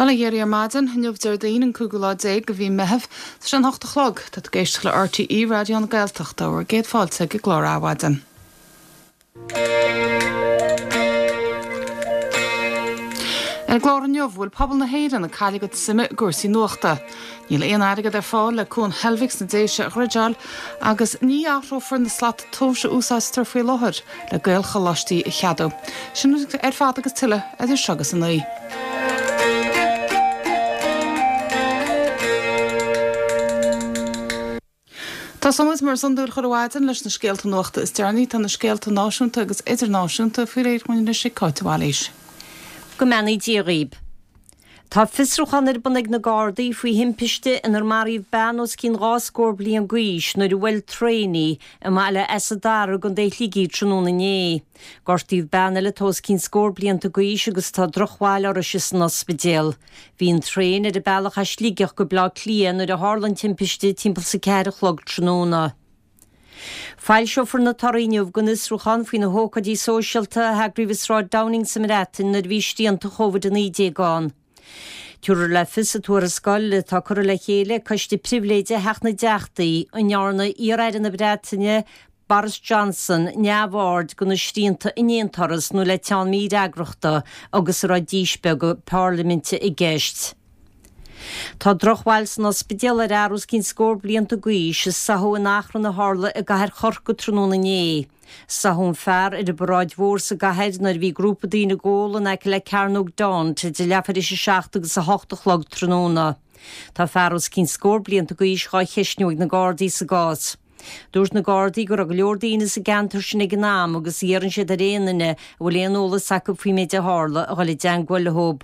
Bail ó Dhia oraibh ar maidin, inniu Déardaoin an cúigiú lá déag de mhí Meitheamh. Tá sé an hocht a chlog. Tá tú ag éisteacht le RTÉ Raidió na Gaeltachta. Bhur gcéad fáilte ag an gclár Adhmhaidin. Ar an gclár inniu, bhfuil pobal na hÉireann ag cailleadh a gcuid suime i gcúrsaí nuachta? Níl aon airgead ar fáil le Cuan Heilbhic sna Déise a dhruideáil agus ní athrófar na slata tomhais a úsáidtear faoi láthair le Gaelcholáistí a cheadú. Sin ar fad agus tuilleadh idir seo agus a 9. Tosóimid mar is iondúil chuile mhaidin leis na scéalta nuachta is deireanaí. Tá na scéalta náisiúnta agus idirnáisiúnta faoi réir dhúinn anois ag Cáit de Bhailís. Go mbeannaí Dia dhaoib. Tá fiosrúchán ar bun ag na Gardaí faoi thimpiste inar maraíodh bean os cionn 2 scór bliain d'aois nuair a bhuail traein í i mBaile Easa Dara i gContae Shligigh tráthnóna inné. Gortaíodh bean eile atá os cionn scór blianta d'aois agus tá drochbhail uirthise san ospidéal. Bhí an traein ar a bealach as Sligeach go Baile Átha Cliath nuair a tharla an timpiste timpeall 's a ceathair a chlog tráthnóna. Foilseofar na torthaí inniu den fhiosrúchán faoi na hócáidí sóisialta a heagraíodh i Sráid Downing sa mBreatain nuair a bhí srianta Covid-19 ann. Tabharfar le fios sa tuarascáil atá curtha le chéile ag Coiste Pribhléide Theach na dTeachtaí an ndearna iar-aire na Breataine Boris Johnson neamhaird de na srianta in aon turas nó le teann mífhreagrachta agus an raibh díspeagadh parlaiminte i gceist. Tá drochbhail san ospidéal ar fhear os cionn scór blianta d'aois a sáthadh in achrann a tharla i gcathair Chorcaí tráthnóna inné. Sáthadh an fear ar an bParáid Mhór sa gcathair nuair a bhí grúpa daoine ag ól in aice le Cearnóg Daunt idir leathuair tar éis a seacht agus a hocht a chlog tráthnóna. Tá fear os cionn scór blianta d'aois dhá cheistniú ag na Gardaí sa gcás. Dúirt na Gardaí go raibh go leor daoine sa gceantar sin ag an am agus iarrann siad ar aon duine a bhfuil aon eolas acu faoin méid a tharla a dhul i dteangmháil leo.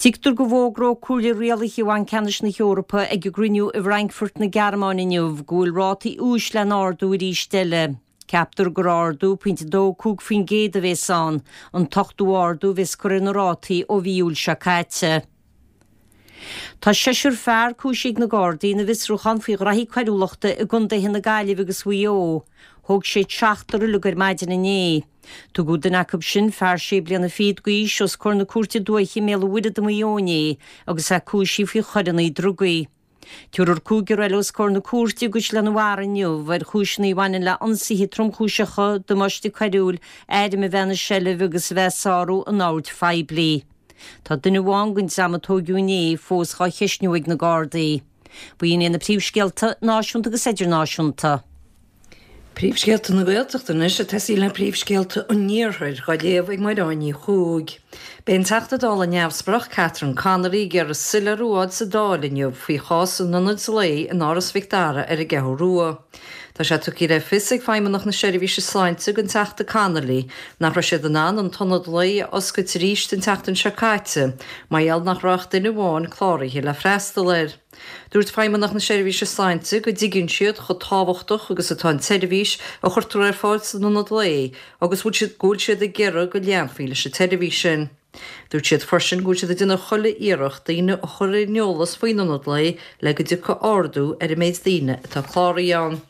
Tuigtear go bhfógróidh Comhairle Rialaithe Bhanc Ceannais na hEorpa ag a gcruinniú i bhFrankfurt na Gearmáine inniu go bhfuil rátaí úis le n-ardú arís eile. Ceaptar gur ardú pointe 2.5% a bhéas ann, an t-ochtú ardú a bhéas curtha ar na rátaí ó mhí Iúil seo caite. Tá seisear fear cúisithe ag na Gardaí ina bhfiosrúchán faoi ghraithí coiriúlachta i gcontaetha na Gaillimhe agus Mhaigh Eo. Thóg siad seachtar uilig ar maidin inné. Tugadh duine acu sin, fear sé bliana fichead d'aois, os comhair na Cúirte Dúiche i mBéal an Mhuirthead i Maigh Eo inné agus é cúisithe faoi choireanna drugaí. Tabharfar cúigear eile os comhair na cúirte i gCaisleán an Bharraigh inniu ar chúiseanna a bhaineann le ionsaithe tromchúiseacha, damáiste coiriúil, airm a bheith ina seilbh agus a bheith ag sárú an oird phoiblí. Tá duine amháin den dream a tóigeadh inné fós dhá cheistniú ag na Gardaí. B'in iad na príomhscéalta náisiúnta agus idirnáisiúnta. Príomhscéalta na Gaeltachta anois ag tosaí le príomhscéalta an Iarthair, dhá léamh ag Mairéad Ní Chuaig. Beidh an Teachta Dála neamhspleách Catherine Connolly ag iarraidh soiléiriú a fháil sa Dáil inniu faoi chás an ionaid lae in Áras Mhic Dara ar an gCeathrú Rua. Tá sé tugtha le fios ag Feidhmeannacht na Seirbhíse Sláinte don Teachta Connolly nach raibh siad in ann an t-ionad lae a oscailt arís an tseachtain seo caite mar gheall nach raibh ach duine amháin cláraithe le freastal air. Dúirt Feidhmeannacht na Seirbhíse Sláinte go dtuigeann siad chomh tábhachtach agus atá an tseirbhís a chuirtear ar fáil san ionad lae agus go bhfuil siad ag iarraidh go leanfaí leis an tseirbhís sin. Dúirt siad freisin go bhfuil siad ag déanamh chuile iarracht daoine a chur ar an eolas faoin ionad lae le go dtiocfaidh ardú ar an méid daoine atá cláraithe ann.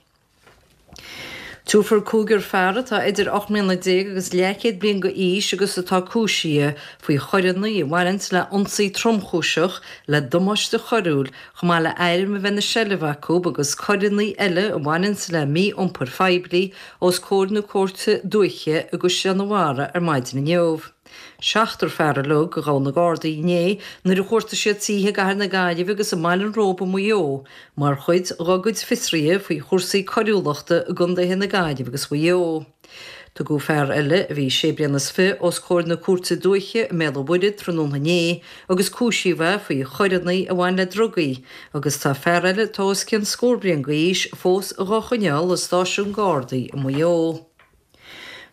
Tabharfar cúigear fear atá idir 18 mbliana agus leathchéad bliain d'aois agus atá cúisithe faoi choireanna a bhaineanns le ionsaí tromchúiseach, le damáiste choiriúil, chomh maith le airm a bheith ina seilbh acu agus coireanna eile a bhaineanns le mí-iompar phoiblí os comhair na Cúirte Dúiche i gCaisleán an Bharraigh ar maidin inniu. Seachtar fear uilig a ghabh na Gardaí inné nuair a chuartaigh siad tithe i gcathair na Gaillimhe agus i mBaile an Róba i Maigh Eo mar chuid dá gcuid fiosruithe faoi chúrsaí coiriúlachta i gcontaetha na Gaillimhe agus Mhaigh Eo. Tugadh fear eile, a bhí sé bliana is fiche, os comhair na Cúirte Dúiche i mBéal an Mhuirthead tráthnóna inné agus cúisíodh é faoi choireanna a bhain le drugaí agus tá fear eile atá os cionn scór bliain d'aois fós dhá choinneáil i stáisiún Gardaí i Maigh Eo.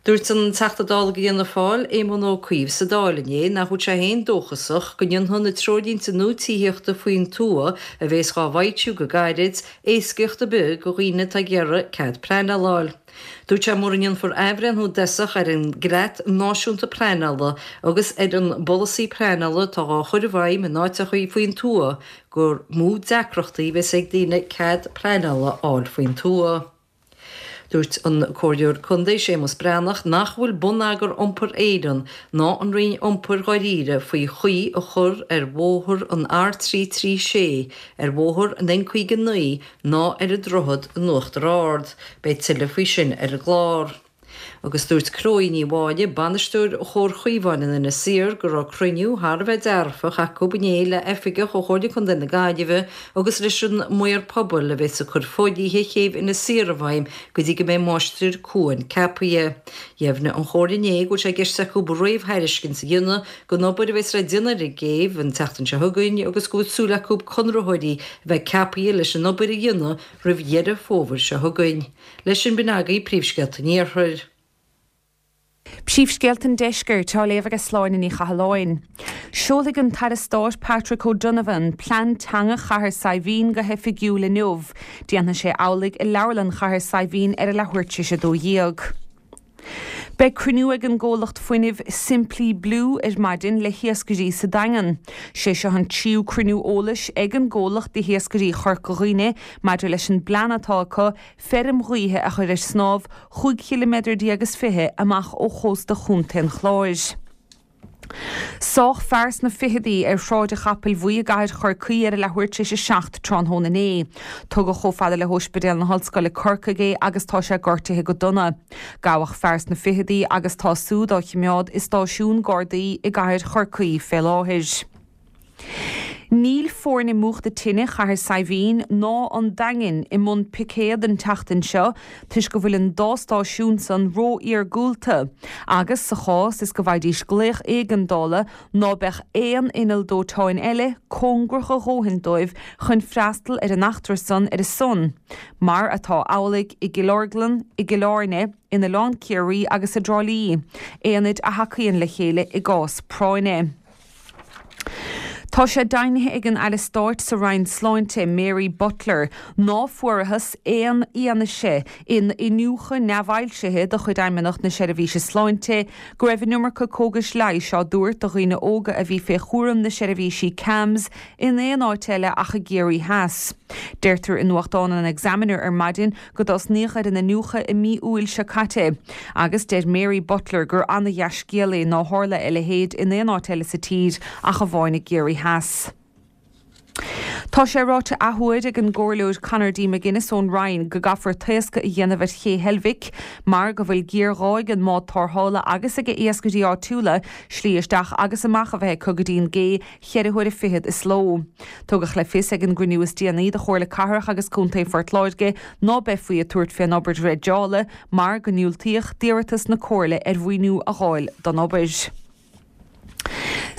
Dúirt an Teachta Dála do Fhianna Fáil, Éamon Ó Cuív sa Dáil inné nach bhfuil sé féin dóchasach go ndéanfaidh na treoirlínte nua tithíochta faoin tuath a bhéas dhá bhfoilsiú go gairid, éascaíocht ar bith do dhaoine atá ag iarraidh cead pleanála a fháil. Dúirt sé mura ndéanfar athbhreithniú i dtosach ar an gCreat Náisiúnta Pleanála agus ar an bpolasaí pleanála atá dhá chur i bhfeidhm in áiteachaí faoin tuath gur mó deacrachtaí a bhéas ag daoine cead pleanála a fháil faoin tuath. Dúirt an Comhairleoir Contae Séamus Breathnach nach bhfuil Bonneagar Iompair Éireann ná an Roinn Iompair dháiríre faoi chaoi a chur ar bhóthar an R336, ar bhóthar an N59 ná ar an droichead in Uachtar Ard. Beidh tuilleadh faoi sin ar an gclár. Agus dúirt Chloe Ní Mháille, bainisteoir Chomhar Chaomháin in Inis Oírr, go raibh cruinniú thar a bheith dearfach acu inné le oifigeach ó Chomhairle Contae na Gaillimhe agus leis an maor pobail a bheas ag cur fodhlíthe chéibh Inis Oírr i bhfeidhm go dtí go mbeidh máistir cuain ceapaithe. Dheimhnigh an Chomhairle inné go bhfuil sé i gceist acu réamhthairiscint a dhéanamh don obair a bheas le déanamh ar an gcéibh an tseachtain seo chugainn agus go bhfuil súil acu conraitheoirí a bheith ceapaithe leis an obair a dhéanamh roimh Dheireadh Fómhair seo chugainn. Leis sin b'in agaibh príomhscéalta an Iarthair. Príomhscéalta an Deiscirt á léamh ag Sláine Ní Chathalláin. Seolfaidh an tAire Stáit Patrick O'Donovan Plean Teanga Chathair Saidhbhín go hoifigiúil inniu. Déanfaidh sé amhlaidh i Leabharlann Chathair Saidhbhín ar a leathuair tar éis 12. Beidh cruinniú ag an gcomhlacht fuinnimh Simply Blue ar maidin le hiascairí sa Daingean. Sé seo an tríú cruinniú eolais ag an gcomhlacht le hiascairí Chorca Dhuibhne maidir leis an bplean atá acu feirm ghaoithe a chur ar snámh chúig chiliméadar déag is 20 amach ó chósta Chontae an Chláir. Sádh fear sna ficheadaí ar Shráid an Chapaill Bhuí i gcathair Chorcaí ar a leathuair tar éis a 7 tráthnóna inné. Tugadh chomh fada le hÓispidéal na hOllscoile Corcaigh é agus tá sé gortaithe go dona. Gabhadh fear sna ficheadaí agus tá súd á chimeád i stáisiún Gardaí i gcathair Chorcaí fé láthair. Níl foirne múchta tine Chathair Saidhbhín ná an Daingin i mbun picéad an tseachtain seo toisc go bhfuil an dá stáisiún san ró-iargúlta agus sa chás is go bhfaighidís glaoch éigeandála ná beadh aon inneall dóiteáin eile cóngarach a dhóthain dóibh chun freastal ar an eachtra san ar a son, mar atá amhlaidh i gCill Orglan, i gCill Airne, in Oileán Ciarraí agus i dTrá Lí, aonaid a thacaíonn le chéile i gcás práinne. Tá sé deimhnithe ag an Aire Stáit sa Roinn Sláinte, Mary Butler, ná fuarathas aon fhianaise in iniúchadh neamhfhoilsithe de chuid Fheidhmeannacht na Seirbhíse Sláinte go raibh an iomarca cógais leighis á dtabhairt do dhaoine óga a bhí fé chúram na seirbhísí CAMHS in aon áit eile ach i gCiarraí Theas. Deirtear i nuachtán an Examiner ar maidin go dtosnaíodh ar an iniúchadh i mí Iúil seo caite agus deir Mary Butler gur ana-dhea-scéal é ná tharla a leithéid in aon áit eile sa tír ach amháin i gCiarraí Theas. Tá sé ráite athuair ag an gComhairleoir Conor D. McGuinness ón Rinn go gcaithfear taoscadh a dhéanamh ar Ché Heilbhic mar go bhfuil géarghá ag an mbád tárrthála agus ag iascairí áitiúla slí isteach agus amach a bheith acu go dtí an gcé cheithre huaire fichead is ló. Tugadh le fios ag an gcruinniú is déanaí de Chomhairle Cathrach agus Contae Phort Láirge ná beifí ag tabhairt fén obair dreideála mar go ndiúltaíodh d'iarratas na Comhairle ar mhaoiniú a dh'fháil don obair.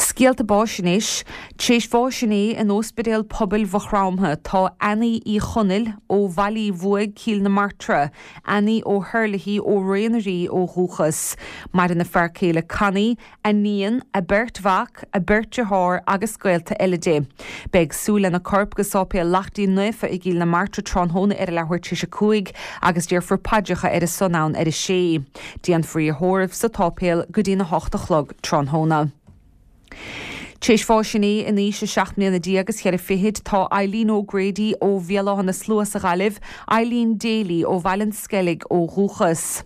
Scéalta báis anois. Tar éis bháis inné in Óispidéal Pobail Mhaigh Chromtha tá Annie Uí Chonaill ó Bhaile Uí Bhuaigh, Cill na Martra, Annie O'Herlihy ó Rae na Rí ó dhúchas. Maireann a fear céile Connie, a níon, a beirt mhac, a beirt dearthár agus gaolta eile di. Beidh súil lena corp go Sáipéal Laichtín Naofa i gCill na Martra tráthnóna ar a leathuair tar éis a 5 agus déarfar paidreacha ar a son ann ar a sé. Déanfar í a thórramh sa tsáipéal go dtí'n 8 a chlog tráthnóna. Tar éis bháis inné in aois a seacht mbliana déag is cheithre fichid tá Eileen O'Grady ó Bhéal Átha na Slua sa Ghaillimh, Eileen Daly ó Bhaile an Sceilg ó dhúchas.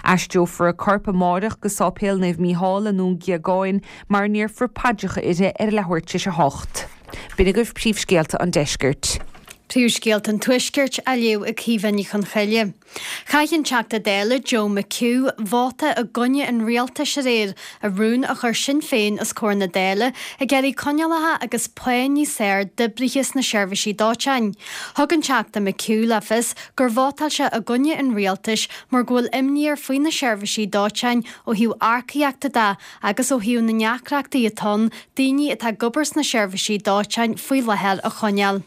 Aistreofar a corp amáireach go Sáipéal Naomh Mícheál i nDún Géagáin mar a ndéarfar paidreacha uirthi ar a leathuair tar éis a hocht. B'in agaibh príomhscéalta an deiscirt. Príomhscéalta an Tuaiscirt á léamh ag Caoimhe Ní Chonchoille. Chaith an Teachta Dála Joe McHugh vóta i gcoinne an rialtais aréir i rún a chuir Sinn Féin os comhair na Dála ag iarraidh coinníollacha agus pá níos fearr d'oibrithe sna seirbhísí dóiteáin. Thug an Teachta McHugh le fios gur vótáil sé i gcoinne an rialtais mar go bhfuil imní air faoi na seirbhísí dóiteáin ó thaobh earcaíochta de agus ó thaobh na ndeacrachtaí atá ann daoine atá ag obair sna seirbhísí dóiteáin faoi láthair a choinneáil.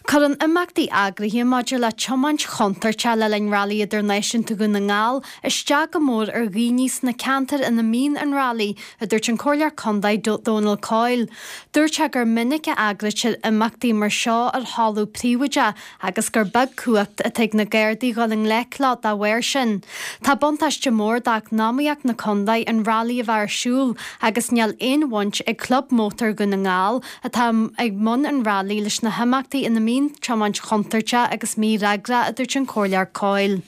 Cuireann imeachtaí eagraithe maidir le tiomáint chontúirteach le linn Railí Idirnáisiúnta Dhún na nGall isteach go mór ar dhaoine sna ceantair ina mbíonn an railí, a dúirt an Comhairleoir Contae Dónal Coyle. Dúirt sé gur minic a eagraítear imeachtaí mar seo ar thalamh príobháideach agus gur beag cumhacht atá ag na Gardaí dhul i ngleic leo dá bharr sin. Tá buntáiste mór d'eacnamaíocht na contae an railí a bheith ar siúl agus níl aon bhaint ag Club Mótar Dhún na nGall atá i mbun an railí leis na himeachtaí ina mbíonn tiomáint chontúirteach agus mífhreagrach, a dúirt an Comhairleoir Coyle.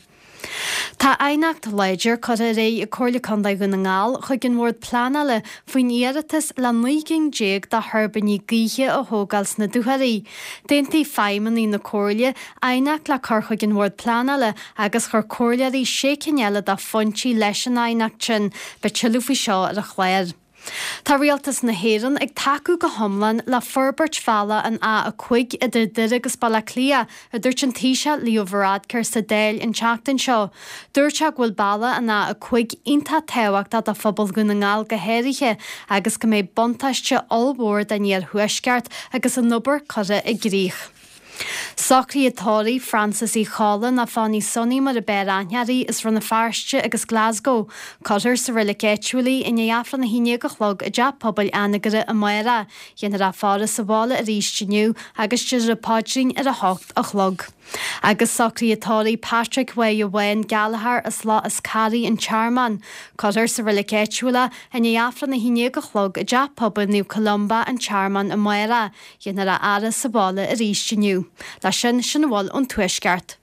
Tá aighneacht láidir curtha ar aghaidh ag Comhairle Contae Dhún na nGall chuig an Bhord Pleanála faoin iarratas le 19 gcinn de thuirbíní gaoithe a thógáil sna Dúchoraidh. D'aontaigh feidhmeannaigh na Comhairle aighneacht le cur chuig an Bhord Pleanála agus chuir comhairleoirí sé cinn eile de phointí leis an aighneacht sin. Beidh tuilleadh faoi seo ar an chlár. Tá Rialtas na hÉireann ag tacú go hiomlán le forbairt bhealach an A5 idir Doire agus Baile Átha Cliath, a dúirt an Taoiseach Leo Varadkar sa Dáil an tseachtain seo. Dúirt sé go bhfuil bealach an A5 iontach tábhachtach do phobal Dhún na nGall go háirithe agus go mbeidh buntáiste ollmhór don iarthuaisceart agus an obair curtha i gcrích. Socruithe tórraimh Frances Uí Cholla nó Fonny Sonny mar a b'fhearr aithne uirthi as Rann na Feirste agus Glasgow. Cuirfear sa reilig áitiúil í i ndiaidh Aifreann 11 a chlog i dTeach Pobail Anagaire amárach. Dhéanfar a faire sa bhaile arís inniu agus déarfar an paidrín ar a hocht a chlog. Agus socruithe tórraimh Patrick Mháire Bháin Gallagher as Loch is Carraigh an Tearmann. Cuirfear sa reilig áitiúil é i ndiaidh Aifreann 11 a chlog i dTeach Pobail Naomh Columba an Tearmann amárach. Dhéanfar a fhaire sa bhaile arís inniu. Leis sin, sin a bhfuil ón Tuaisceart.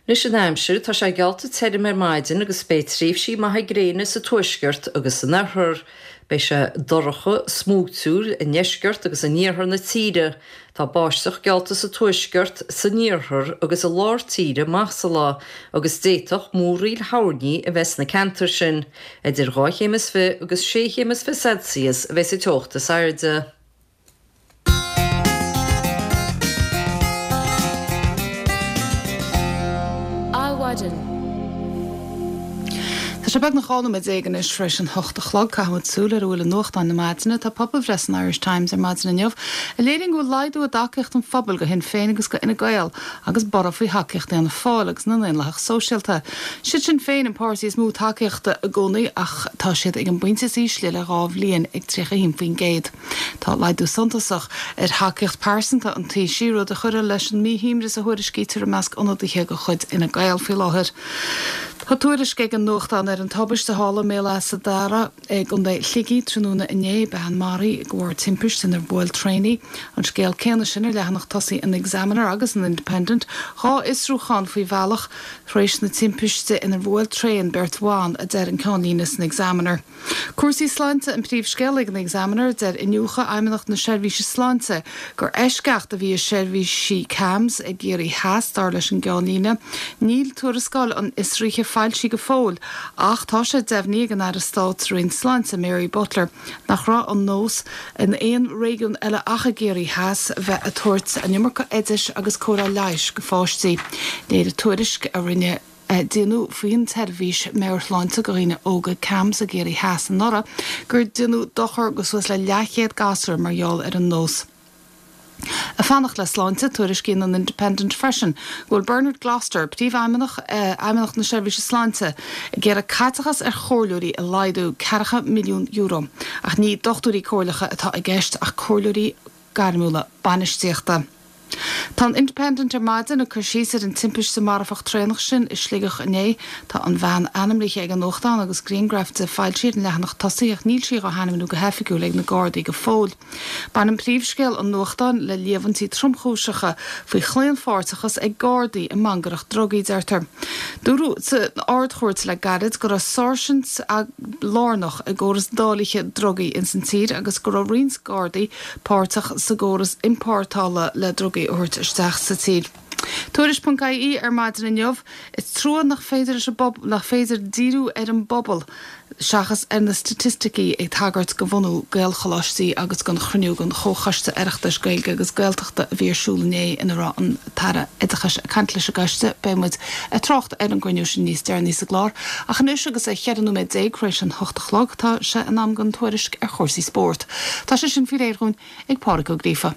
Anois an aimsir, tá sé geallta tirim ar maidin agus beidh tréimhsí maithe gréine sa tuaisceart agus san oirthear. Beidh sé dorcha, smúitiúil i ndeisceart agus in iarthar na tíre. Tá báisteach geallta sa tuaisceart, san iarthar agus i lár tíre amach sa lá agus d'fhéadfadh múraíl thoirní a bheith sna ceantair sin. Idir 2 chéim is 20 agus 6 chéim is 20 Celsius a bheidh sa teocht is airde. Adhmhaidin. Tá sé beagnach 12 nóiméad anois tar éis an hocht a chlog. Caithfidh muid súil ar a bhfuil i nuachtáin na maidine. Tá pobalbhreith san Irish Times ar maidin inniu a léiríonn go bhfuil laghdú i dtacaíocht an phobail do Shinn Féin agus do Fhine Gael agus borradh faoi thacaíocht Fhianna Fáil agus na nDaonlathach Sóisialta. Siad Sinn Féin an páirtí is mó tacaíochta i gcónaí ach tá siad ag an bpointe is ísle le dhá bhliain ag 31%. Tá laghdú suntasach ar thacaíocht pearsanta an Taoisigh, rud a chuirfeadh leis an míshuaimhneas a thuairiscítear i measc ionadaithe de chuid Fhine Gael faoi láthair. Tá tuairisc ag an nuachtán ar an tubaiste a tharla i mBéal Easa Dara i gContae Shligigh tráthnóna inné, bean maraithe de bharr timpiste inar bhuail traein í. An scéal céanna sin ar leathanach tosaigh an Examiner agus an Independent, 2 fhiosrúchán faoi bhealach tar éis na timpiste inar bhuail traein beirt bhan, a deir an ceannlíne san Examiner. Cúrsaí sláinte an príomhscéal ag an Examiner. Deir iniúchadh Fheidhmeannacht na Seirbhíse Sláinte gur eisceacht a bhí i seirbhísí CAMHS i gCiarraí Theas, dar leis an gceannlíne. Níl tuarascáil an fhiosraithe foilsithe go fóill ach tá sé deimhnithe ag an Aire Stáit sa Roinn Sláinte, Mary Butler, nach raibh an nós in aon réigiún eile ach i gCiarraí Theas bheith ag tabhairt an iomarca oidis agus cóireáil leighis go pháistí. Léirigh tuairisc a rinne. Déanadh faoin tseirbhís meabhairshláinte do dhaoine óga CAMHS i gCiarraí Theas anuraidh gur déanadh dochar go suas le leathchéad gasúr mar gheall ar an nós. Ag fanacht le sláinte, tuairiscíonn an Independent freisin go bhfuil Bernard Gloster, Príomhfheidhmeannach Fheidhmeannacht na Seirbhíse Sláinte, ag iarraidh caiteachas ar chomhairleoirí a laghdú €40 milliún. Ach ní dochtúirí comhairleacha atá i gceist ach comhairleoirí gairmiúla bainistíochta. Tá an Independent ar maidin ag cur síos ar an timpiste marfach traenach sin i Sligeach inné. Tá an bhean ainmnithe ag an nuachtán agus grianghraf di foilsithe ar an leathanach tosaigh ach níl sí á hainmniú go hoifigiúil ag na Gardaí go fóill. Baineann príomhscéal an nuachtáin le líomhaintí tromchúiseacha faoi chlaonpháirteachas ag Gardaí i mangaireacht drugaí, deirtear. Dúradh san Ard-Chúirt le gairid go raibh sáirsint lárnach i gcóras dáilithe drugaí ins an tír agus go raibh roinnt Gardaí páirteach sa gcóras iompórtála le drugaí a thabhairt isteach sa tír. Tuairisc.ie ar maidin inniu, Is trua nach féidir leis an bpobal, nach féidir díriú ar an bpobal seachas ar na staitisticí ag tagairt do bhunú Gaelcholáistí agus don chruinniú den Chomhchoiste Oireachtais Gaeilge agus Gaeltachta a bhí ar siúl inné ina raibh an tAire Oideachais ag caint leis an gcoiste. Beidh muid ag trácht ar an gcruinniú sin níos deireanaí sa gclár. Ach anois agus é 14 nóiméad tar éis an hocht a chlog tá sé in am don tuairisc ar chúrsaí spóirt. Tá sé sin faoi réir dhúinn ag Pádraig Ó Gríofa.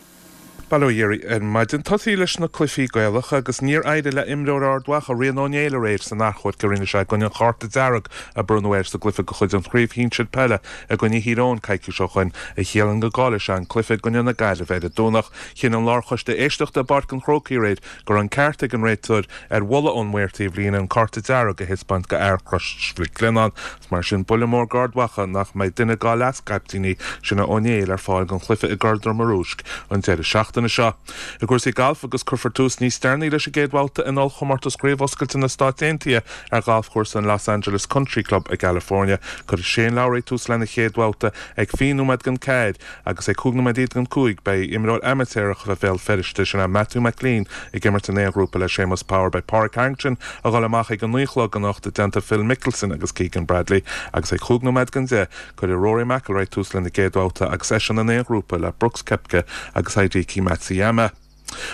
Bail ó Dhia oraibh ar maidin. Tosaí leis na cluichí Gaelacha agus níor éirigh le imreoir Ard Mhacha, Rian Ó Néill aréir san achomharc a rinne sé i gcoinne an chárta dearg a bronnadh air sa gcluiche de chuid an Chraobh Shinsir Peile i gcoinne Thír Eoghain coicís ó shoin, a chiallaíonn go gcaillfidh sé an cluiche i gcoinne na Gaillimhe ar an Domhnach. Chinn an Lárchoiste Éisteachta i bPáirc an Chrócaigh aréir go raibh an ceart ag an réiteoir ar mholadh ón maor taobhlíne an cárta dearg a thaispeáint go fhear Chrois Mhic Lionnáin. Is mar sin buille mór d'Ard Mhacha nach mbeidh duine dá leas-chaiptíní, sin é Ó Néill, ar fáil don chluiche i gCorr Droma Rúisc an deireadh seachtaine. seachtaine seo. I gcúrsaí gailf agus cuirfear tús níos deireanaí leis an gcéad bhabhta in ollchomórtas Chraobh Oscailte na Stáit Aontaithe ar ghalfchúrsa an Los Angeles Country Club i gCalifornia. Cuirfidh Shane Lowry tús lena chéad bhabhta ag 20 nóiméad don 4 agus ag 15 nóiméad don 5 beidh imreoir amaitéarach Bhéal Feirste, sin é Matthew McClean, ag imirt in aon ghrúpa le Séamus Power. Beidh Pádraig Harrington a dhul amach ag a 9 a chlog anocht i dteannta Phil Mickelson agus Keegan Bradley agus ag 5 nóiméad don 10 cuirfidh Rory McIlroy tús lena gcéad bhabhta agus eisean in aon ghrúpa le Brooks Koepka agus Hideki Matsuyama.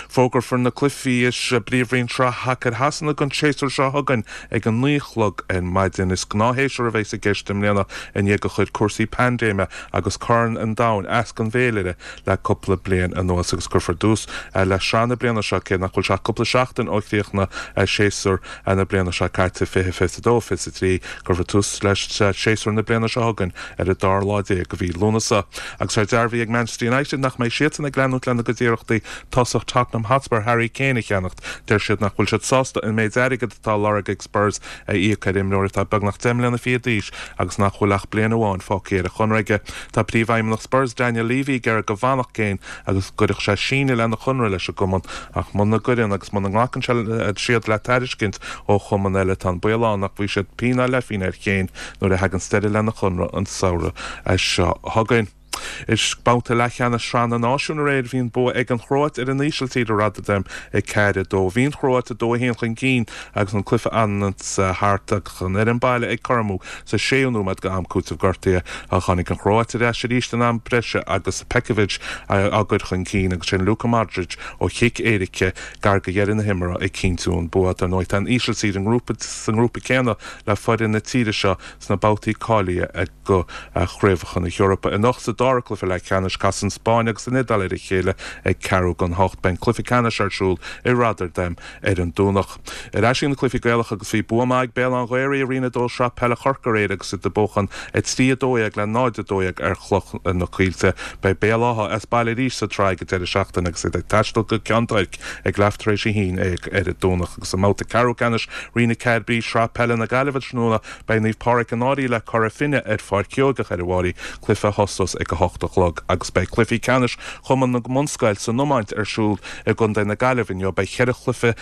Fógrófar na cluichí i bPríomhroinn Shraith Shacair Shasana don tséasúr seo chugainn ag a 9 a chlog ar maidin. Is gnáthshéasúr a bheas i gceist i mbliana i ndiaidh gur chuir cúrsaí paindéime agus Corn an Domhain as don bhféilire le cúpla bliain anuas agus cuirfear tús le sraith na bliana seo cé nach bhfuil sé ach cúpla seachtain ó chríochnaigh séasúr na bliana seo caite, 2022, 23. Cuirfear tús le séasúr na bliana seo chugainn ar an dara lá déag de mhí Lúnasa. Agus tá dearbhaithe ag Manchester United nach mbeidh siadsan ag leanúint lena gcuid iarrachtaí tosach Tottenham Hotspur Harry Kane a cheannacht. Deir siad nach bhfuil siad sásta an méid airgid atá á lorg ag Spurs a íoc ar imreoir atá beagnach deich mbliana fichead d'aois agus nach bhfuil ach bliain amháin fágtha ar a chonradh aige. Tá príomhfheidhmeannach Spurs Daniel Levy ag iarraidh go bhfanfadh Kane agus go gcuirfeadh sé síneadh lena chonradh leis an gcumann ach muna gcuireann agus muna nglacann siad le tairiscint ó chumann eile tá an baol ann nach bhfaighidh siad pingin ná leathphingin ar Kane nuair a thaganns deireadh lena chonradh an samhradh seo chugainn. I mbabhta leathcheannais Shraith na Náisiún aréir bhí an bua ag an Chróit ar an Ísiltír i Rotterdam 4, 2. Bhí an Chróit 2, 1 chun cinn agus an cluiche ag fanacht thart ach an fhoireann baile ag cothromú sa séú nóiméad de am cúitimh gortaithe. Tháinig an Chróit ar ais arís in am breise agus Petkovic á gcur chun cinn agus ansin Luka Modric ó chic éirice gar do dheireadh na himeartha ag cinntiú an bua. Dar ndóigh tá an Ísiltír sa ngrúpa céanna le foireann na tíre seo sna babhtaí cáilithe do Chraobhacha na hEorpa. Anocht sa dara cluiche leathcheannais casfaidh an Spáinn agus an Iodáil ar a chéile ag ceathrú don hocht. Beidh an cluiche ceannais ar siúl i Rotterdam ar an Domhnach. Ar ais ag na cluichí Gaelacha agus bhí bua maith ag Béal Átha an Ghaorthaidh i Roinn 2 Sraith Peile Chorcaí aréir agus iad ag buachan 3, 12 le 0, 12 ar Chloich na Coillte. Beidh Béal Átha as baile arís sa tsraith ag an deireadh seachtaine agus iad ag taisteal go Ceann Toirc ag leath tar éis a haon déag ar an Domhnach. Agus i mbabhta ceathrú ceannais Roinn 4B Sraith Peile na Gaillimhe tráthnóna beidh Naomh Pádraig an Fhairche le Cora Finne ar Pháirc Sheoigeach ar an bhFairche, cluiche a thosós ag 8 a chlog agus beidh cluichí ceannais Chumann na mBunscoil san iomáint ar siúl i gContae na Gaillimhe inniu. Beidh 14 chluiche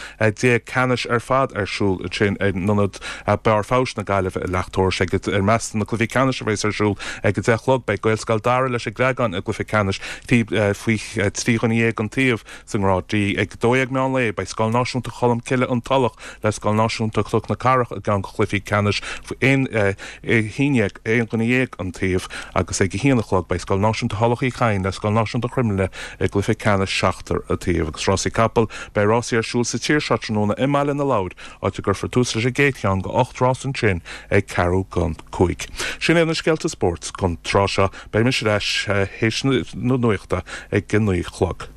ceannais ar fad ar siúl ansin in Ionad Barr Feabhais na Gaillimhe i Leacht Iorrais. I measc na gcluichí ceannais a bheas ar siúl ag 10 a chlog beidh Gaelscoil Dara leis an gCreagán i gcluiche ceannais faoi 13 dhuine an taobh sa ngrád D. Ag 12 meán lae beidh Scoil Náisiúnta Cholmcille An Tulach le Scoil Náisiúnta Chnoc na Cathrach i gceann de chluichí ceannais faoi 11 aon dhuine dhéag an taobh agus ag a haon a chlog beidh Scoil Náisiúnta Thulach Uí Chadhain le Scoil Náisiúnta Chroimghlinne i gcluiche ceannais seachtar an taobh. Agus rásaí capall, beidh rásaí ar siúl sa tír seo tráthnóna i mBaile na Lobhar, áit a gcuirfear tús leis an gcéad cheann de 8 rás ansin ag ceathrú don 5. Sin iad na scéalta spóirt don tráth seo. Beidh mise ar ais théis na nuachta ag a 9 a chlog.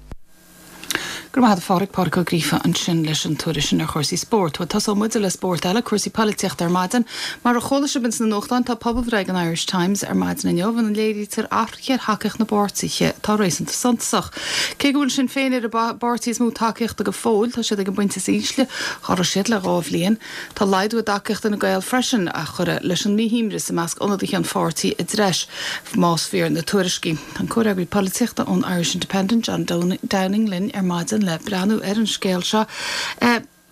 Go raibh maith agat a Phádraig, Pádraig Ó Gríofa ansin leis an tuairisc sin ar chúrsaí spóirt. Bhuel, tosóidh muide le spórt eile, cúrsaí polaitíochta ar maidin. Mar a chuala sibh ins na nuachtáin, tá pobalbhreith ag an Irish Times ar maidin inniu ina léirítear athruithe ar thacaíocht na bpáirtithe atá réasúnta suntasach. Cé go bhfuil Sinn Féin ar an bpáirtí is mó tacaíochta go fóill, tá siad ag an bpointe is ísle dhá raibh siad le 2 bhliain. Tá laghdú i dtacaíocht Fhine Gael freisin, a chuirfidh leis an míshuaimhneas i measc ionadaithe an pháirtí i dtreis, más fíor na tuairiscí. Tá an comhfhreagraí polaitíochta ón Irish Independent, John Downing, linn ar maidin le breathnú ar an scéal seo.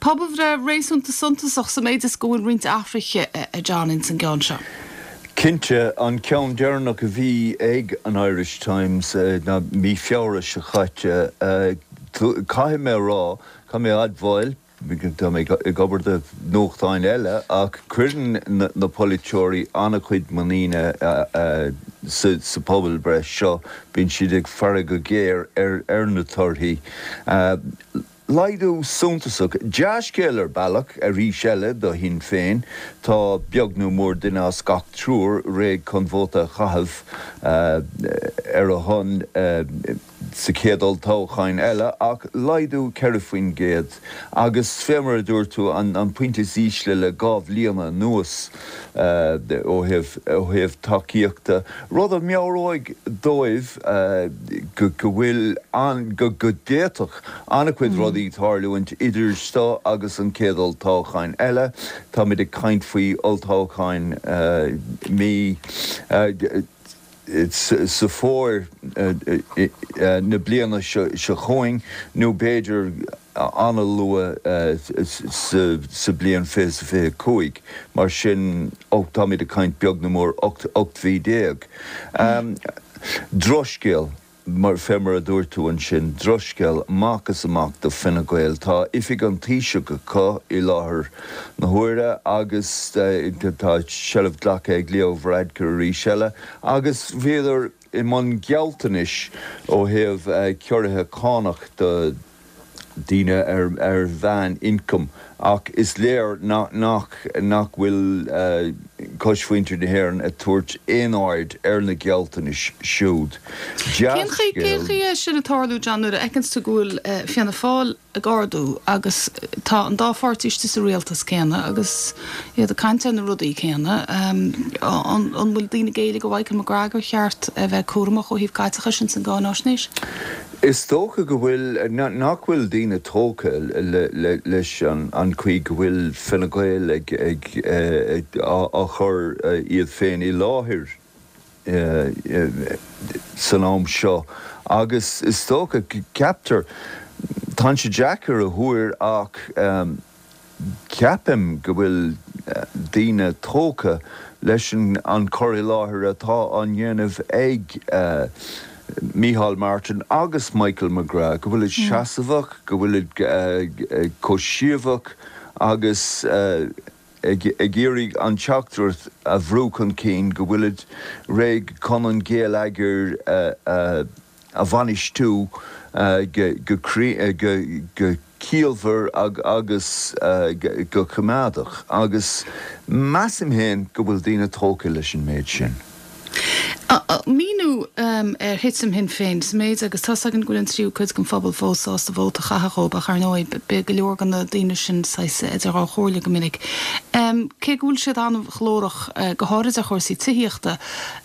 Pobalbhreith réasúnta suntasach sa méid is go bhfuil roinnt athruithe, a John, ins an gceann seo. Cinnte, an ceann deireanach a bhí ag an Irish Times ná mí Feabhra seo chaite. Caithfidh mé a rá, caithfidh mé a admháil, Tá mé ag obair do nuachtáin eile ach cuireann na polaiteoirí an-chuid muiníne sa phobalbhreith seo. Bíonn siad ag faire go géar ar na torthaí. Laghdú suntasach. Dea-scéal ar bealach, arís eile, do Shinn Féin. Tá beag nó mór duine as gach triúr réidh chun vóta a chaitheamh ar a shon. sa chéad olltoghchán eile ach laghdú 4% agus fé mar a dúirt tú an pointe is ísle le 2 bhliana anuas ó thaobh ó thaobh tacaíochta, rud a mheabhróidh dóibh go bhfuil an go d'fhéadfadh an-chuid rudaí tarlúint idir seo agus an chéad olltoghchán eile. Táimid ag caint faoi olltoghchán mí. Sa fómhar na bliana seo chugainn nó b'fhéidir an-luath sa bliain 2025. Mar sin, táimid ag caint beag nó mór 18 mhí. Drochscéal. Mar, fé mar a dúirt tú ansin, drochscéal amach is amach do Fine Gael. Tá oifig an Taoisigh acu i láthair na huaire agus tá seilbh glactha ag Leo Varadkar arís eile agus bhíodar i mbun gealltanais ó thaobh ciorruithe cánach do daoine ar mheán-ioncam ach is léir nach nach bhfuil cosmhuintir na hÉireann ag tabhairt aon aird ar na gealltanais siúd. Cén chaoi é sin ag tarlú, John, nuair a fheiceanns tú go bhfuil Fianna Fáil ag ardú agus tá an dá pháirtí istigh sa rialtas céanna agus iad ag caint ar na rudaí céanna, an bhfuil daoine ag éileamh ó Mhichael McGrath gur cheart a bheith cúramach ó thaobh caiteachais ins an gcáináisnéis? Is dócha go bhfuil, nach bhfuil daoine tógtha leis an chaoi go bhfuil Fine Gael ag á chur iad féin i láthair san am seo agus is dócha, ceaptar, tá sé deacair a thuar ach Ceapaim go bhfuil daoine tógtha leis an cur i láthair atá á ndéanamh ag Micheál Martin agus Michael McGrath, go bhfuilid seasmhach, go bhfuilid chomh seasmhach agus ag iarraidh an teachtaireacht a bhrú chun cinn go bhfuilid réidh chun an géilleagar a a bhainistiú go ciallmhar agus go coimeádach agus measaim féin go bhfuil daoine tógtha leis an méid sin. Míniú ar thitim Shinn Féin sa méid agus tá's againn go bhfuil an tríú cuid den phobal fós sásta vóta a chaitheamh dhóibh ach ar ndóigh beidh go leor de na daoine sin saghas idir dhá chomhairle go minic. Cé go bhfuil siad an-ghlórach go háirid ar chúrsaí tithíochta,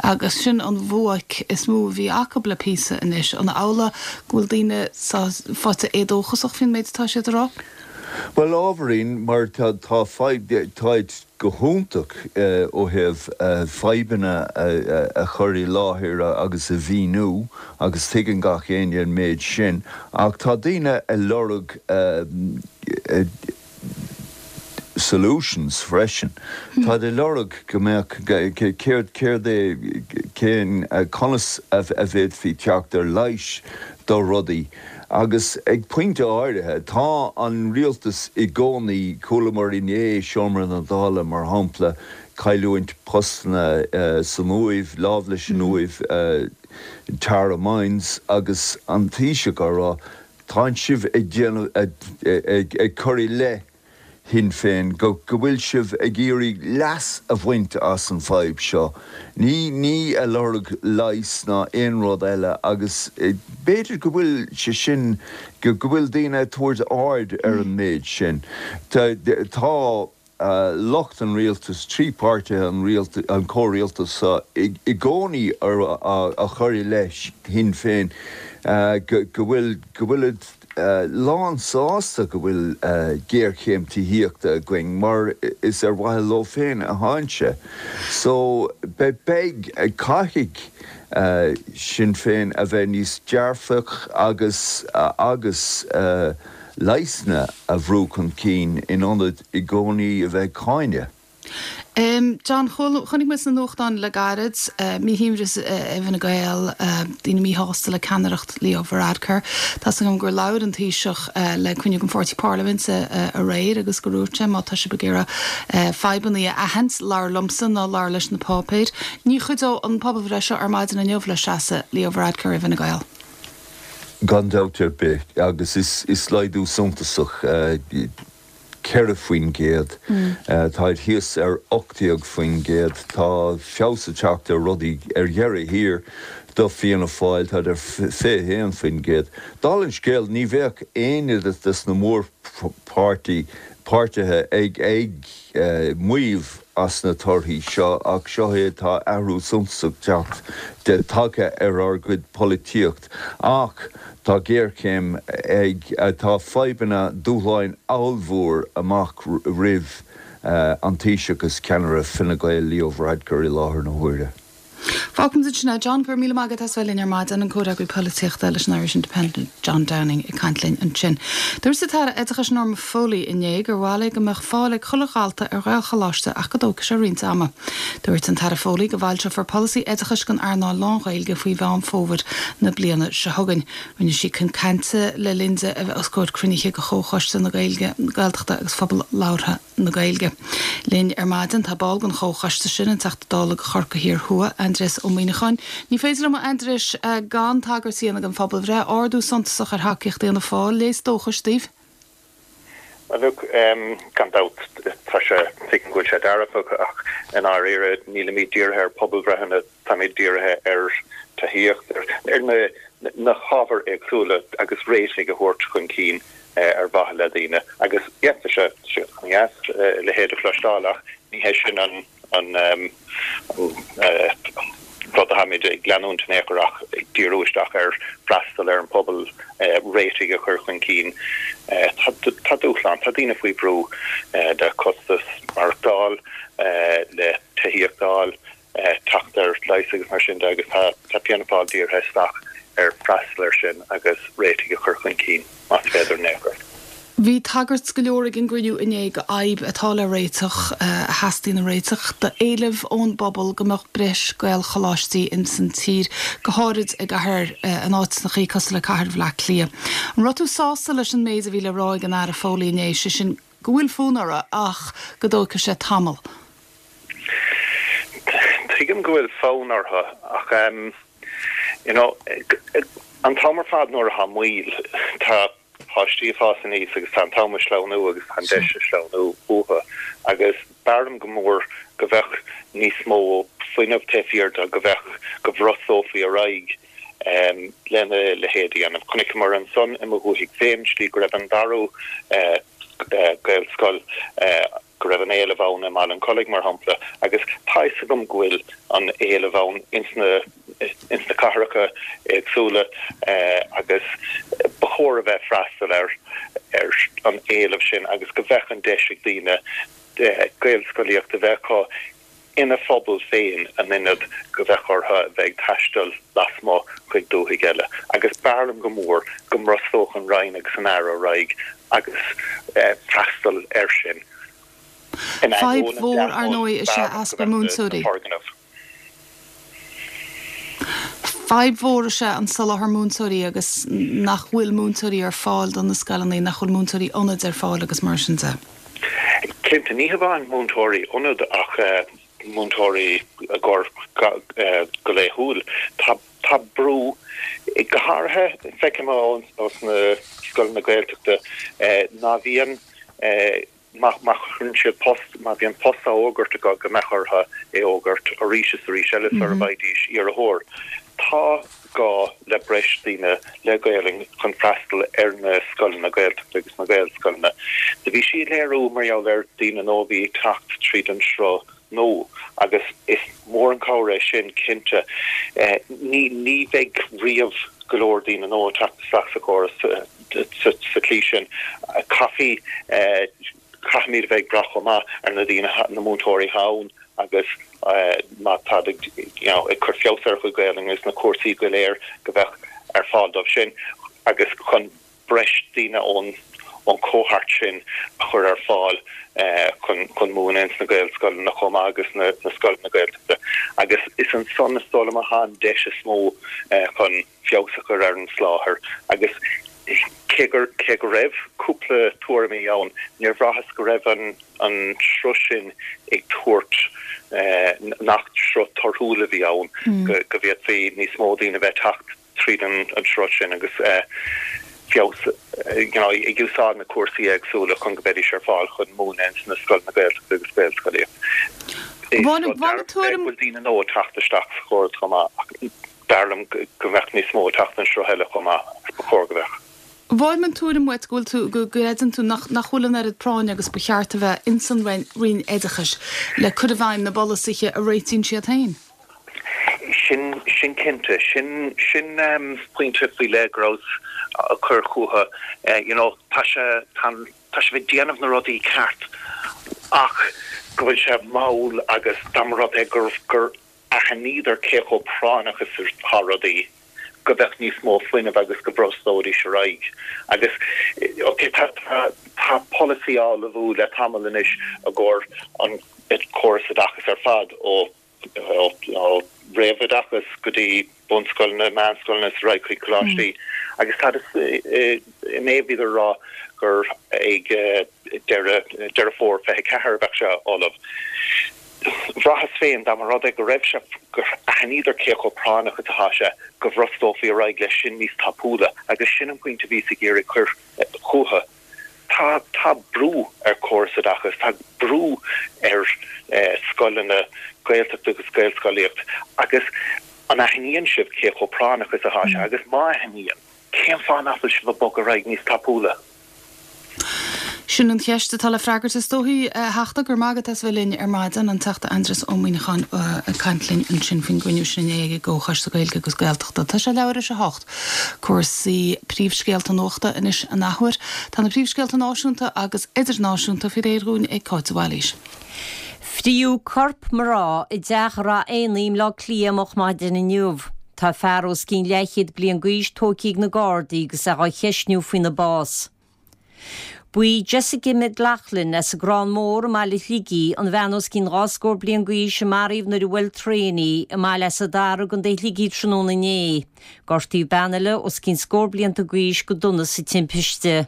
Agus sin an bhuaic is mó a bhí acu le píosa anois. An amhlaidh go bhfuil daoine faighte éadóchasach faoin méid atá siad a rá? Bhuel, ábhairín, mar tá fadhb, táid go hiontach ó thaobh fadhbanna a chur i láthair agus a mhíniú agus tuigeann gach éinne an méid sin ach tá daoine ag lorg solutions freisin. Táid ag lorg go mbeadh, céard, céard é, cén, conas a bhféadfaí teacht ar leigheas do rudaí. Agus ag pointe áirithe, tá an rialtas i gcónaí, chualamar inné i Seomra na Dála, mar shampla, cailliúint postanna san Uaimh, lámh leis an Uaimh, Tara Mines, agus an Taoiseach á rá, Tánn sibh ag déanamh, ag cur i leith Shinn Féin go bhfuil sibh ag iarraidh leas a bhaint as an bhfadhb seo, ní, ní ag lorg leighis ná aon rud eile agus b'fhéidir go bhfuil sé sin, go bhfuil daoine ag tabhairt aird ar an méid sin. Tá. lucht an rialtais, 3 páirtithe an rialtais, an comhrialtas seo i gcónaí á chur i leith Shinn Féin go bhfuil, go bhfuilid lán sásta go bhfuil géarchéim tithíochta againn mar is ar mhaithe leo féin atánn sé. So beidh, caithfidh Sinn Féin a bheith níos dearfach agus, agus. leigheasanna a bhrú chun cinn in ionad i gcónaí a bheith ag cáineadh. John, chonaic muid sna nuachtáin le gairid, míshuaimhneas i bhFine Gael, daoine míshásta le ceannaireacht Leo Varadkar. Tá's agam gur labhair an Taoiseach le cruinniú den pháirtí parlaiminte aréir agus gur dhúirt sé má tá sibh ag iarraidh fadhbanna a aithint, labhair liomsa ná labhair leis na páipéir. Ní chuideodh an pobalbhreith seo ar maidin inniu le seasamh Leo Varadkar i bhFine Gael. Gan dabht ar bith, agus is laghdú suntasach 4%, táid thíos ar 18%, tá feabhas ag teacht ar rudaí ar dheireadh thiar do Fianna Fáil, táid ar 21%. Dála an scéil, ní bheadh éinne des na mórpháirtithe ag maíomh as na torthaí seo ach seo é, tá athrú suntasach teacht tagtha ar ár gcuid polaitíocht ach tá géarchéim ag, tá fadhbanna, dúshláin ollmhór amach roimh an Taoiseach is ceannaire Fine Gael Leo Varadkar i láthair na huaire. Fágfaimid ansin é. John, go raibh míle maith agat as bheith linn ar maidin, an Comhfhreagraí Polaitíochta leis an Irish Independent, John Downing, ag caint linn ansin. Dúirt an tAire Oideachais Norma Foley inné gur mhaith léi go mbeadh fáil ag chuile dhalta ar Ghaelcholáiste ach go dtógfaidh sé roinnt ama. Dúirt an Taire Foley go bhfoilseofar polasaí oideachais don earnáil lán-Ghaeilge faoi Mheán Fómhair na bliana seo chugainn. Rinne sí a cuid cainte le linn di a bheith os comhair cruinnithe de Chomhchoiste na Gaeilge, na Gaeltachta agus Phobal Labhartha na Gaeilge. Linn ar maidin tá ball den chomhchoiste sin, an Teachta Dála do Chorcaigh Thiar Thuaidh, Aindrias Ó Muimhneacháin. Ní féidir liom, a Aindriais, gan tagairt a dhéanamh don phobalbhreith, ardú suntasach ar thacaíocht Fhianna Fáil, léas dóchais daoibh? Bhuel, look, gan dabht, tá sé, tuigim go bhfuil sé dearfach ach i ndáiríre nílimid dírithe ar pobalbhreitheanna, táimid dírithe ar tithíocht, ar na na hábhair éagsúla agus réitigh a thabhairt chun cinn ar mhaithe le daoine. Agus yeah, tá sé an-dheas a leithéid a chloisteáil ach ní hé sin an an rud atáimid ag leanúint in aon chor ach ag díriú isteach ar freastal ar an phobal, réitigh a chur chun cinn. Tá dúshlán, tá daoine faoi bhrú le costas maireachtáil, le tithíocht a fháil, teacht ar leigheas agus mar sin de agus tá Fianna Fáil dírithe isteach ar freastal air sin agus réitigh a chur chun cinn, más féidir in aon chor. Bhí tagairt go leor ag an gcruinniú inné do fhadhb atá le réiteach, a theastaíonn a réiteach, d'éileamh ón bpobal go mbeadh breis Gaelcholáistí ins an tír, go háirid i gcathair, in áiteannachaí cosúil le cathair Bhaile Átha Cliath. An raibh tú sásta leis an méid a bhí le rá ag an Aire Foley inné, sé sin go bhfuil fonn orthu ach go dtógfaidh sé tamall? Tuigim go bhfuil fonn orthu ach you know an t-am ar fad nuair atá moill, tá páistí ag fás aníos agus tá an t-am ag sleamhnú agus tá an deis ag sleamhnú uathu agus b'fhearr liom go mór go bheadh níos mó fuinnimh taobh thiar de, go bheadh, go bhrostófaí ar aghaidh lena leithéid a dhéanamh. Chonaiceamar ansan i mo dhúthaigh féin, slí go raibh an dara Gaelscoil, go raibh an éileamh ann i mBaile an Chollaigh, mar shampla, agus tá fhios agam go bhfuil an éileamh ann ins na ins na cathracha éagsúla agus ba chóir a bheith freastal ar ar an éileamh sin agus go bheadh an deis ag daoine Gaelscolaíocht a bheith acu ina phobal féin in ionad go bheadh orthu a bheith ag taisteal lasmuigh chuig dúthaigh eile. Agus b'fhearr liom go mór go mbrostódh an Roinn agus an Aire ar aghaidh agus freastal air sin. In Fadhb ainneoin an mhór, ar ndóigh, is ea easpa múinteoirí. Fadhb mhór is ea an soláthar múinteoirí agus nach bhfuil múinteoirí ar fáil do na scoileanna, nach bhfuil múinteoirí ionaid ar fáil agus mar sin de. Cinnte, ní hamháin múinteoirí ionaid ach múinteoirí i gcomhair go laethúil. Tá tá brú, go háirithe feicim ó sna scoileanna Gaeltachta ná bhíonn Má chuireann siad post, má bhíonn post á fhógairt acu go mbeadh orthu é fhógairt arís is arís eile sara bhfaighidís iarrthóir. Tá gá le breis daoine le Gaelainn chun freastal ar na scoileanna Gaeltachta agus na Gaelscoileanna. Do bhí sí ag léiriú mar gheall ar daoine nua a bhí ag teacht tríd an sruth nua agus is mór an cabhair é sin cinnte. Ní ní bheidh riamh go leor daoine nua ag teacht isteach sa chóras sa tslí sin. Caithfí caithfimid a bheith ag brath chomh maith ar na daoine na múinteoirí atá ann agus má táid ag you know ag cur feabhas ar a gcuid Gaelainne agus na cúrsaí go léir go bheadh ar fáil dóibh sin agus chun breis daoine ón ón cohort sin a chur ar fáil chun chun múineadh ins na Gaelscoileanna chomh maith agus na na scoileanna Gaeltachta agus is ansan is dóigh liom atá an deis is mó chun feabhas a chur ar an soláthar agus cé gur cé go raibh cúpla tuairimí ann níor bhraitheas go raibh an an sruth sin ag tabhairt nach sruth torthúil a bhí ann go go bhféadfaí níos mó daoine a bheith teacht tríd an sruth sin agus feabhas, you know, ag úsáid na cúrsaí éagsúla chun go mbeidís ar fáil chun múineadh ins na scoileanna Gaeltachta agus Gaelscolaíocht. Is rud dearfach é go bhfuil daoine nua ag teacht isteach sa chóras chomh maith ach b'fhearr liom go mbeadh níos mó ag teacht an sruth eile chomh maith agus ba chóir go mbeadh. Faighim an tuairim uait go bhfuil tú, go gcreideann tú nach, nach bhfuil an oiread práinne agus ba cheart a bheith ins an Roinn Oideachais le cur i bhfeidhm na bpolasaithe a réitíonn siad féin. Sin, sin cinnte. Sin, sin pointe faoi leith go rabhas a cur chucu. You know, tá sé, tá an, tá sibh ag déanamh na rudaí ceart ach go bhfuil sé mall agus dá mba rud é gur, gur. aithníodar cé chomh práinneach is atá rudaí, go mbeadh níos mó fuinnimh agus go bhrostóidís ar aghaidh. Agus, ok, tá, tá, tá polasaí á ullmhú le tamall anois i gcomhair an córas oideachais ar fad, ó, ó, ó réamhoideachas go dtí bunscoileanna, meánscoileanna is ar aghaidh chuig coláistí. Agus tá, inné bhíodar ag rá gur ag deireadh, Deireadh Fómhair 24 a bheadh sé ullamh. Bhraitheas féin, dá mba rud é go raibh sé, gur aithníodar cé chomh práinneach is atá sé, go bhrostófaí ar aghaidh leis sin níos tapúla, agus sin an pointe a bhíos ag iarraidh cur chucu. Tá, tá brú ar chóras oideachais, tá brú ar scoileanna Gaeltachta agus Gaelscolaíocht, agus an aithníonn sibh cé chomh práinneach is atá sé, agus má aithníonn, cén fáth nach bhfuil sibh ag bogadh ar aghaidh níos tapúla? Sin an cheist atá le freagairt is dóichí, a Theachta. Go raibh maith agat as bheith linn ar maidin. An Teachta Aindrias Ó Muimhneacháin ag caint linn ansin faoin gcruinniú sin inné ag an gComhchoiste Gaeilge agus Gaeltachta. Tá sé leathuair théis a hocht. Cúrsaí príomhscéalta nuachta anois an athuair. Tá na príomhscéalta náisiúnta agus idirnáisiúnta faoi réir dhúinn ag Cáit de Bhailís. Fríodh corp mná i dteach Ráth Éanaigh i mBleá Cliath moch maidin inniu. Tá fear os cionn leathchéad bliain d'aois tógtha ag na Gardaí agus é dhá cheistniú faoina bás. Ba í Jessica McLaughlin as an gCrann Mór i mbaile Shligigh an bhean os cionn 20 scór bliain d'aois a maraíodh nuair a bhuail traein í i mbaile Easa Dara i gContae Shligigh tráthnóna inné. Gortaíodh bean eile os cionn scór blianta d'aois go dona sa timpiste.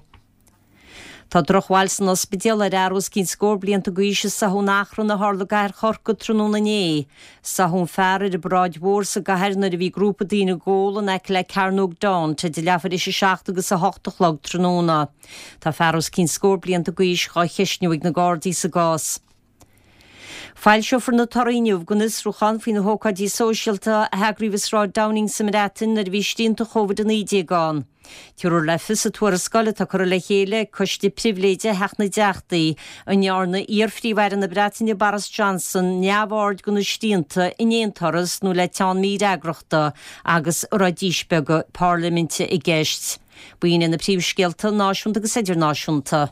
Tá drochbhail san ospidéal ar fhear os cionn scór blianta d'aois a sáthadh in achrann a tharla i gcathair Chorcaí tráthnóna inné. Sáthadh an fear ar an bParáid Mhór sa gcathair nuair a bhí grúpa daoine ag ól in aice le Cearnóg Daunt idir leathuair théis a 7 agus 8 a chlog tráthnóna. Tá fear os cionn scór blianta d'aois dhá cheistniú ag na Gardaí sa gcás. Foilseofar na torthaí inniu den fhiosrúchán faoi na hócáidí sóisialta a heagraíodh i Sráid Downing sa mBreatain nuair a bhí srianta Covid-19 ann. Tabharfar le fios sa tuarascáil atá curtha le chéile ag Coiste Pribhléide Theach na dTeachtaí an ndearna iar-Phríomh-Aire na Breataine Boris Johnson neamhaird de na srianta in aon turas nó le teann mífhreagrachta agus a raibh díspeagadh parlaiminte i gceist. B'in iad na príomhscéalta náisiúnta agus idirnáisiúnta.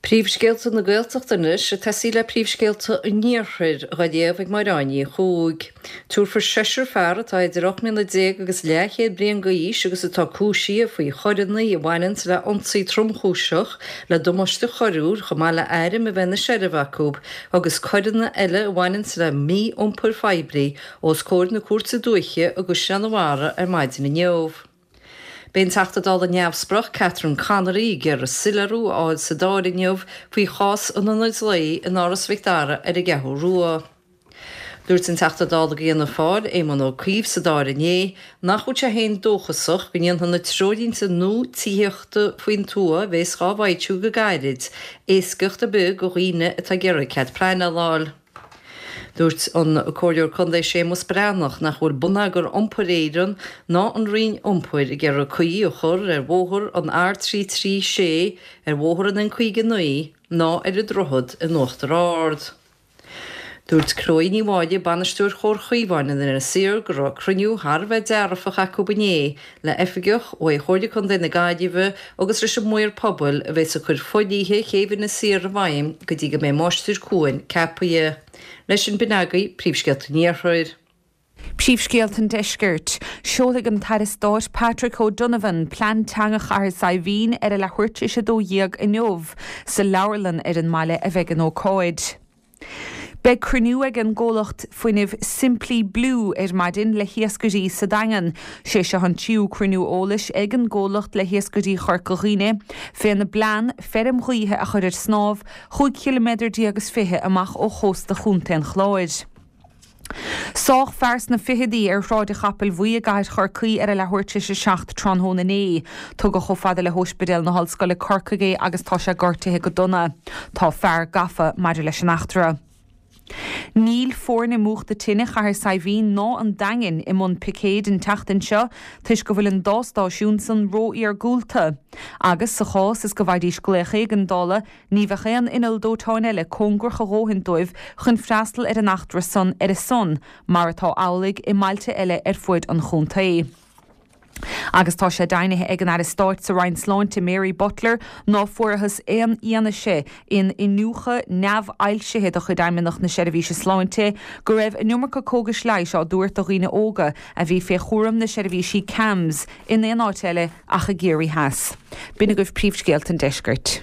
Príomhscéalta na Gaeltachta anois, ag tosaí le príomhscéalta an Iarthair, dhá léamh ag Máire Áine Ní Chuaig. Tabharfar seisear fear atá idir 18 mbliana agus leathchéad bliain d'aois agus atá cúisithe faoi choireanna a bhaineanns le ionsaí tromchúiseach, le damáiste choiriúil chomh maith le airm a bheith ina seilbh acu agus coireanna eile a bhaineanns le mí-iompar phoiblí os comhair na Cúirte Dúiche i gCaisleán an Bharraigh ar maidin inniu. Beidh an Teachta Dála neamhspleách Catherine Connolly ag iarraidh soiléiriú a fháil sa Dáil inniu faoi chás an ionaid lae in Áras Mhic Dara ar an gCeathrú Rua. Dúirt an Teachta Dála do Fhianna Fáil, Éamon Ó Cuív sa Dáil inné nach bhfuil sé féin dóchasach go ndéanfaidh na treoirlínte nua tithíochta faoin tuath a bhéas dhá bhfoilsiú go gairid éascaíocht ar bith do dhaoine atá ag iarraidh cead pleanála a fháil. Dúirt an Comhairleoir Contae Séamus Breathnach nach bhfuil Bonneagar Iompair Éireann ná an Roinn Iompair ag iarraidh caoi a chur ar bhóthar an R336, ar bhóthar an N59 ná ar an droichead in Uachtar Ard. Dúirt Chloe Ní Mháille, Bainisteoir Chomhar Chaomháin in Inis Oírr, go raibh cruinniú thar a bheith dearfach acu inné le oifigeach ó Chomhairle Contae na Gaillimhe agus leis an maor pobail a bheas ag cur fodhlíthe chéibh Inis Oírr i bhfeidhm go dtí go mbeidh máistir cuain ceapaithe. Leis sin b'in agaibh Príomhscéalta an Iarthair. Príomhscéalta an Deiscirt. Seolfaidh an tAire Stáit Patrick O'Donovan Plean Teanga Chathair Saidhbhín ar a leathuair tar éis 12 inniu. Sa leabharlann ar an mbaile a bheidh an ócáid. Beidh cruinniú ag an gcomhlacht fuinnimh Simply Blue ar maidin le hiascairí sa Daingean. Sé seo an tríú cruinniú eolais ag an gcomhlacht le hiascairí Chorca Dhuibhne féna bplean feirm ghaoithe a chur ar snámh chúig chiliméadar déag is 20 amach ó chósta Chontae an Chláir. Sádh fear sna ficheadaí ar Shráid an Chapaill Bhuí i gcathair Chorcaí ar a leathuair tar éis a 7 tráthnóna inné. Tugadh chomh fada le hÓispidéal na hOllscoile Corcaigh é agus tá sé gortaithe go dona. Tá fear gafa maidir leis an eachtra. Níl foirne múchta tine Chathair Saidhbhín ná an Daingin i mbun picéid an tseachtain seo toisc go bhfuil an dá stáisiún san ró-iargúlta. Agus sa chás is go bhfaighidís glaoch éigeandála, Ní bheadh aon inneall dóiteáin eile cóngarach a dhóthain dóibh chun freastal ar an eachtra san ar a son, mar atá amhlaidh i mbailte eile ar fuaid an chontae. Agus tá sé deimhnithe ag an Aire Stáit sa Roinn Sláinte Mary Butler ná fuarathas aon fhianaise in iniúchadh neamhfhoilsithe de chuid Fheidhmeannacht na Seirbhíse Sláinte go raibh an iomarca cógais leighis á dtabhairt do dhaoine óga a bhí fé chúram na seirbhísí CAMHS in aon áit eile ach i gCiarraí Theas. B'in agaibh príomhscéalta an deiscirt.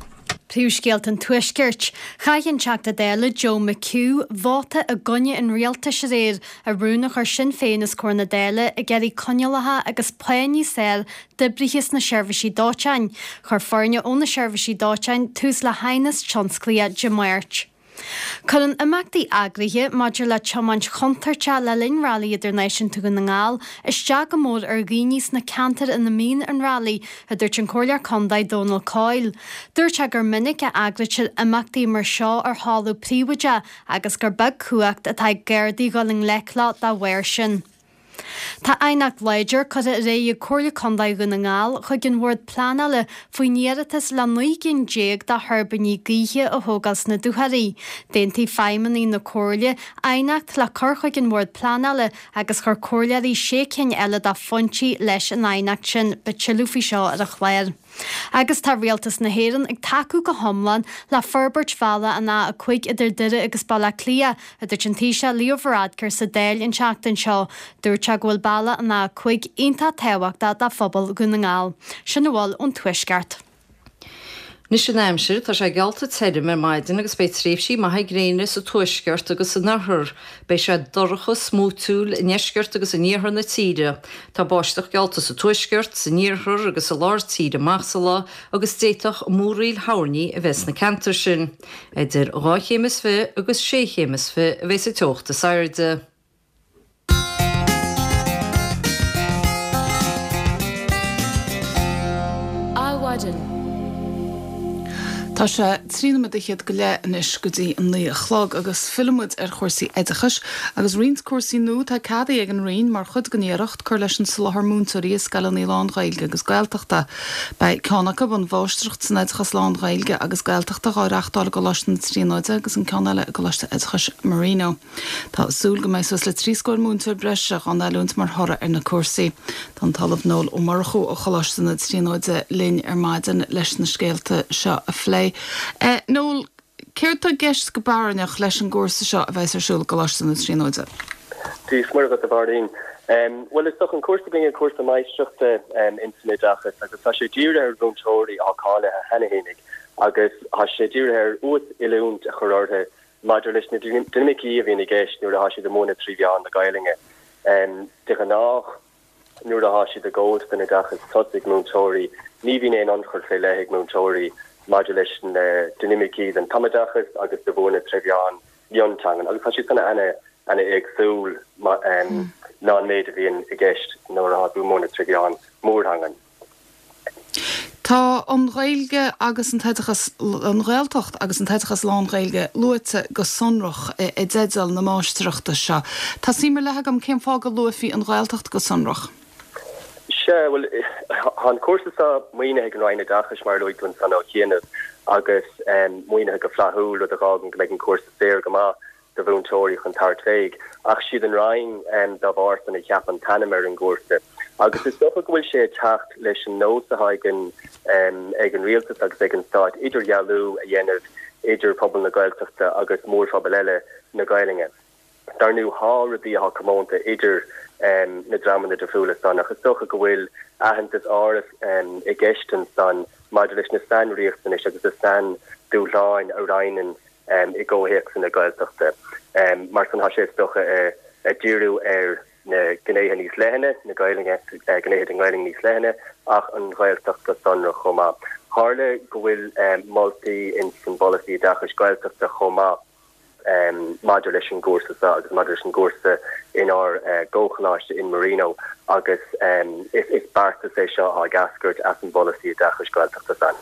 Príomhscéalta an Tuaiscirt. Chaith an Teachta Dála Joe McHugh vóta i gcoinne an rialtais aréir i rún a chuir Sinn Féin os comhair na Dála ag iarraidh coinníollacha agus pá níos fearr d'oibrithe sna seirbhísí dóiteáin. Chuir foirne ó na seirbhísí dóiteáin tús le haighneas tionsclaíoch Dé Máirt. Cuireann imeachtaí eagraithe maidir le tiomáint chontúirteach le linn Railí Idirnáisiúnta Dhún na nGall isteach go mór ar dhaoine sna ceantair ina mbíonn an railí, a dúirt an Comhairleoir Contae Dónal Coyle. Dúirt sé gur minic a eagraítear imeachtaí mar seo ar thalamh príobháideach agus gur beag cumhacht atá ag Gardaí dhul i ngleic leo dá bharr sin. Tá aighneacht láidir curtha ar aghaidh ag Comhairle Contae Dhún na nGall chuig an Bhord Pleanála faoin iarratas le 19 gcinn de thuirbíní gaoithe a thógáil sna Dúchoraidh. D'aontaigh feidhmeannaigh na Comhairle aighneacht le cur chuig an Bhord Pleanála agus chuir comhairleoirí sé cinn eile de phointí leis an aighneacht sin. Beidh tuilleadh faoi seo ar an chlár. Agus tá Rialtas na hÉireann ag tacú go hiomlán le forbairt bhealach an A5 idir Doire agus Baile Átha Cliath, a dúirt an Taoiseach Leo Varadkar sa Dáil an tseachtain seo. Dúirt sé go bhfuil bealach an A5 iontach tábhachtach do phobal Dhún na nGall. Sin a bhfuil ón Tuaisceart. Anois an aimsir, tá sé geallta tirim ar maidin agus beidh tréimhsí maithe gréine sa tuaisceart agus san oirthear. Beidh sé dorcha smúitiúil i ndeisceart agus in iarthar na tíre. Tá báisteach geallta sa tuaisceart, san iarthar agus i lár tíre amach sa lá agus d'fhéadfadh múraíl thoirní a bheith sna ceantair sin. Idir dhá chéim is fi agus sé chéim is fi a bheas an teocht is airde. Adhmhaidin. Tá sé 13 nóiméad go leith anois go dtí an 9 a chlog agus fillfidh muid ar chúrsaí oideachais agus roinnt cúrsaí nua atá ceadaithe ag an Roinn mar chuid den iarracht cur leis an soláthar múinteoirí i scoileanna lán-Ghaeilge agus Gaeltachta. Beidh ceann acu, an Mháistreacht san Oideachas Lán-Ghaeilge agus Gaeltachta, dhá reachtáil i gColáiste na Tríonóide agus an ceann eile i gColáiste Oideachais Marino. Tá súil go mbeidh suas le 3 scór múinteoir breise dhá n-oiliúint mar thoradh ar na cúrsaí. Tá an tOllamh Noel Ó Murchú ó Choláiste na Tríonóide linn ar maidin leis na scéalta seo a phlé. Noel, céard tá i gceist go barainneach leis an gcúrsa seo a bheas ar siúl i gColáiste na Tríonóide? Dia is Muire dhuit a Mháirín. Bhuel is dócha an cúrsa againne cúrsa máistreachta ins an oideachas agus tá sé dírithe ar mhúinteoirí atá cáilithe cheana fhéinig agus tá sé dírithe ar uas-oiliúint a chur orthu Maidir leis na dinimicí a bhíonn i gceist nuair atá siad ag múineadh 3 mheán na Gaelainne, de ghnáth nuair atá siad ag gabháilt don oideachas tosaigh, múinteoirí, ní bhíonn aon ionchur fé leith ag múinteoirí maidir leis na dinimicí den tumoideachas agus de mhúineadh tré mheán mionteangan agus tá siad san ana-éagsúil ná an méid a bhíonn i gceist nuair atá tú ag múineadh tré mheán mórtheangan. Tá an Ghaeilge agus an t-oideachas, an Ghaeltacht agus an t-oideachas lán-Ghaeilge luaite go sonrach i dteideal na máistreachta seo. Tá suim ar leith agam cén fáth go luafaí an Ghaeltacht go sonrach. Sea, bhuel, tá an cúrsa seo maoinithe ag an Roinn Oideachais, mar a luaigh tú ansan ó chianaibh, agus maoinithe go flaithiúil, rud a dh'fhágann go mbeidh an cúrsa saor go maith. do mhúinteoirí chun tabhairt fé, ach siad an Roinn dá bharr san a cheap an t-ainm ar an gcúrsa. Agus is dócha go bhfuil sé ag teacht leis an nós atá ag an ag an Rialtas agus ag an Stát idirdhealú a dhéanamh idir pobal na Gaeltachta agus mórphobail eile na Gaelainne. Dar ndú thá rudaí athá comónta idir na dreamanna difriúla san ach is dócha go bhfuil aitheantas áirithe i gceist ansan maidir leis na sainriachtanais agus na saindúshláin a roinneann i gcomhthéacsanna Gaeltachta. Mar san, tá sé is dócha ag díriú ar na gnéithe níos leithne, na Gaelainne, gnéithe den nGaelainn níos leithne, ach an Ghaeltacht go sonrach chomh maith. Tharla go bhfuil moltaí ins an bPolasaí Oideachais Gaeltachta chomh maith maidir leis an gcúrsa seo agus maidir leis an gcúrsa inár gcomhcholáiste in Marino agus is beartas é seo atá ag eascairt as an bPolasaí Oideachais Gaeltachta san.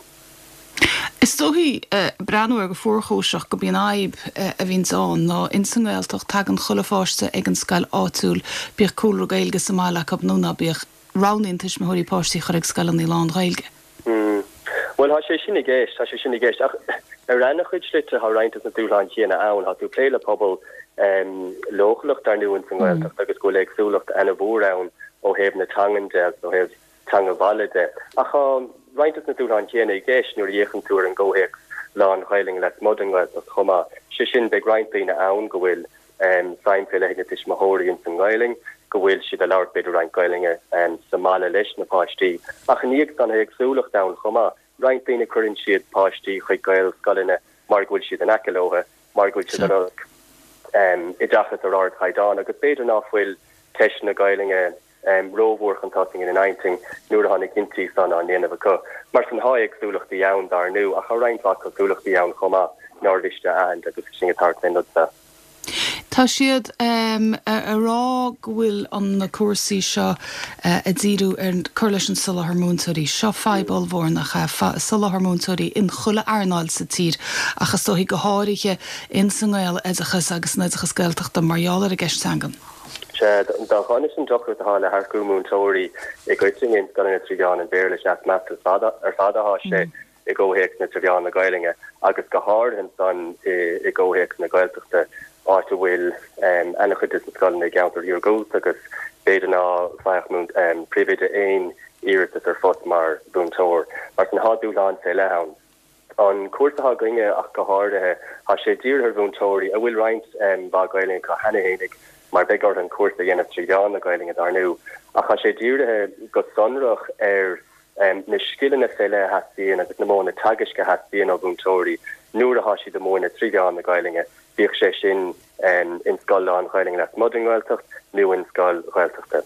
Is dóichí, breathnú air go fuarchúiseach, gurb í an fhadhb a bhíonns ann ná ins an nGaeltacht tagann chuile pháiste ag an scoil áitiúil, bíodh cúlra Gaeilge sa mbaile acu nó ná bíodh. Roghnaíonn tuismitheoirí páistí a chur ag scoileanna lán-Ghaeilge. Bhuel, tá sé sin i gceist, tá sé sin i gceist. Ach ar ana-chuid slite tá roinnt des na dúshláin chéanna ann. Tá tú ag plé le pobal leochaileach dar ndóigh ins an nGaeltacht agus go bhfuil éagsúlacht ana-mhór ann ó thaobh na teangan de agus ó thaobh. teanga bhaile de. Ach tá roinnt de na dúshláin chéanna i gceist nuair a fhéachann tú ar an gcomhthéacs lán-Ghaelainne lasmuigh den nGaeltacht chomh maith. Sé sin, beidh roinnt daoine ann go bhfuil suim fé leith ag na tuismitheoirí ins an nGaelainn, go bhfuil siad ag labhairt b'fhéidir roinnt Gaelainne sa mbaile leis na páistí. Ach ina dhiaidh san, tá éagsúlacht ann chomh maith. Roinnt daoine cuireann siad páistí chuig Gaelscoileanna mar go bhfuil siad in aice leo, mar go bhfuil siad ag lorg oideachas ar ardchaighdeán agus b'fhéidir ná fuil ceist na Gaelainne rómhór chun tosaigh ina n-intinn nuair atá na cinntí san á ndéanamh acu. Mar sin, tá éagsúlachtaí ann, dar ndú, ach tá roinnt mhaith cosúlachtaí ann chomh maith nár mhiste a aithint agus sinn ag tabhairt fén rud seo. Tá siad a rá go bhfuil na cúrsaí seo ag díriú ar cur leis an soláthar múinteoirí. Seo fadhb ollmhór nach ea? Soláthar múinteoirí in chuile earnáil sa tír ach is dóichí go háirithe in sa nGaeloideachas agus san oideachas Gaeltachta mar gheall ar an gceist teangan. Sea, dá dhonas an deacracht atá le hearcú múinteoirí i gcoitinne in scoileanna trí mheán an Bhéarla, sea, is measa ar fad atá sé. i gcomhthéacs na trí mheán na Gaelainne agus go háirithe ansan i gcomhthéacs na Gaeltachta, áit a bhfuil ana-chuid de na scoileanna i gceantair iargúlta agus b'fhéidir ná faigheadh príomhoide aon iarratas ar phost mar mhúinteoir. Mar sin, tá dúshláin fé leith ann. An cúrsa atá againne ach go háirithe, tá sé dírithe ar mhúinteoirí a bhfuil roinnt mhaith Gaelainne acu cheana fhéinig mar beidh orthu an cúrsa a dhéanamh trí mheán na Gaelainne dar ndú, ach tá sé dírithe go sonrach ar na scileanna fé leith a theastaíonn agus na modhanna teagaisc a theastaíonn ó mhúinteoirí nuair atá siad ag múineadh trí mheán na Gaelainne, bíodh sé sin in scoil lán-Ghaelainne lasmuigh den nGaeltacht nó in scoil Ghaeltachta.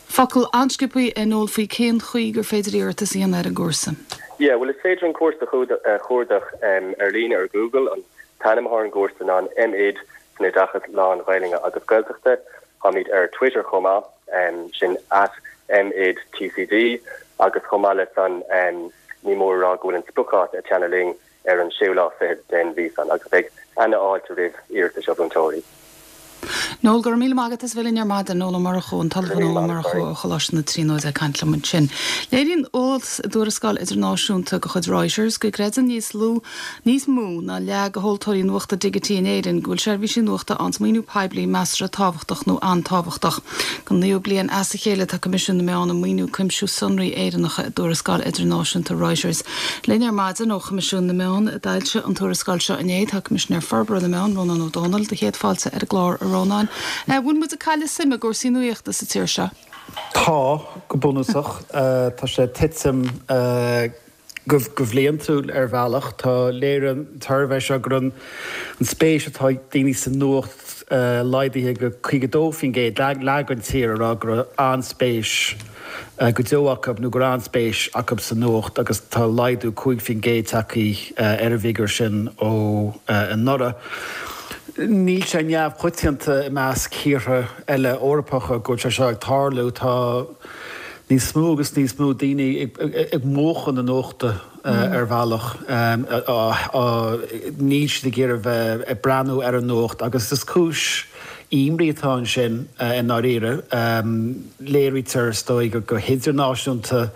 Focal an-sciobtha, a Noel, faoi cén chaoi gur féidir iarratas a dhéanamh ar an gcúrsa. Yeah, bhuel is féidir an cúrsa a chuardach ar líne ar Google. An t-ainm atá ar an gcúrsa ná an M.Ed san Oideachas Lán-Ghaelainne agus Gaeltachta. Táimid ar Twitter chomh maith, sin at MEdTCD, agus chomh maith le san, ní mór a rá go bhfuil an spriocdháta ag teannadh linn ar an séú lá fichead den mhí san, agus beidh ana-fháilte roimh iarratais ó mhúinteoirí. Noel, go raibh míle maith agat as bheith linn ar maidin. Noel Ó Murchú, an tOllamh Noel Ó Murchú ó Choláiste na Tríonóide ag caint liom ansin. Léiríonn eolas i dtuarascáil idirnáisiúnta de chuid Reuters go gcreideann níos lú Níos mó ná leath de thomhaltóirí nuachta digití in Éirinn go bhfuil seirbhísí nuachta arna maoiniú poiblí measartha tábhachtach nó an-tábhachtach. Don naoú bliain as a chéile tá Coimisiún na Meán ag maoiniú cuimsiú sonraí Éireannacha i dtuarascáil idirnáisiúnta Reuters. Linn ar maidin ó Choimisiún na Meán, a d'fhoilsigh an tuarascáil seo inné, tá Coimisinéir Forbartha na Meán, Rónán Ó Domhnaill. Do chéad fáilte ar an gclár, a Rónáin. Bhfuil muid ag cailleadh suime i gcúrsaí nuaíochta sa tír seo? Tá, go bunúsach. Tá sé ag titim. Go bliantúil ar bhealach. Tá léiríonn an tsuirbhé seo go raibh an spéis atá ag daoine sa nuacht laghdaithe go 52%, leath den tír ag rá go raibh an-spéis go deo acu nó go raibh an-spéis acu sa nuacht agus tá laghdú 5% tagtha ar an bhfigiúr sin ó anuraidh. Níl sé neamhchoitianta i measc thíortha eile Eorpacha go bhfuil sé seo ag tarlú. Tá. níos mó agus níos mó daoine ag múchadh na nuachta ar bhealach. Níl siad ag iarraidh bheith ag breathnú ar an nuacht agus is cúis imní atá ansin i ndáiríre. Léirítear, is dóigh, go hidirnáisiúnta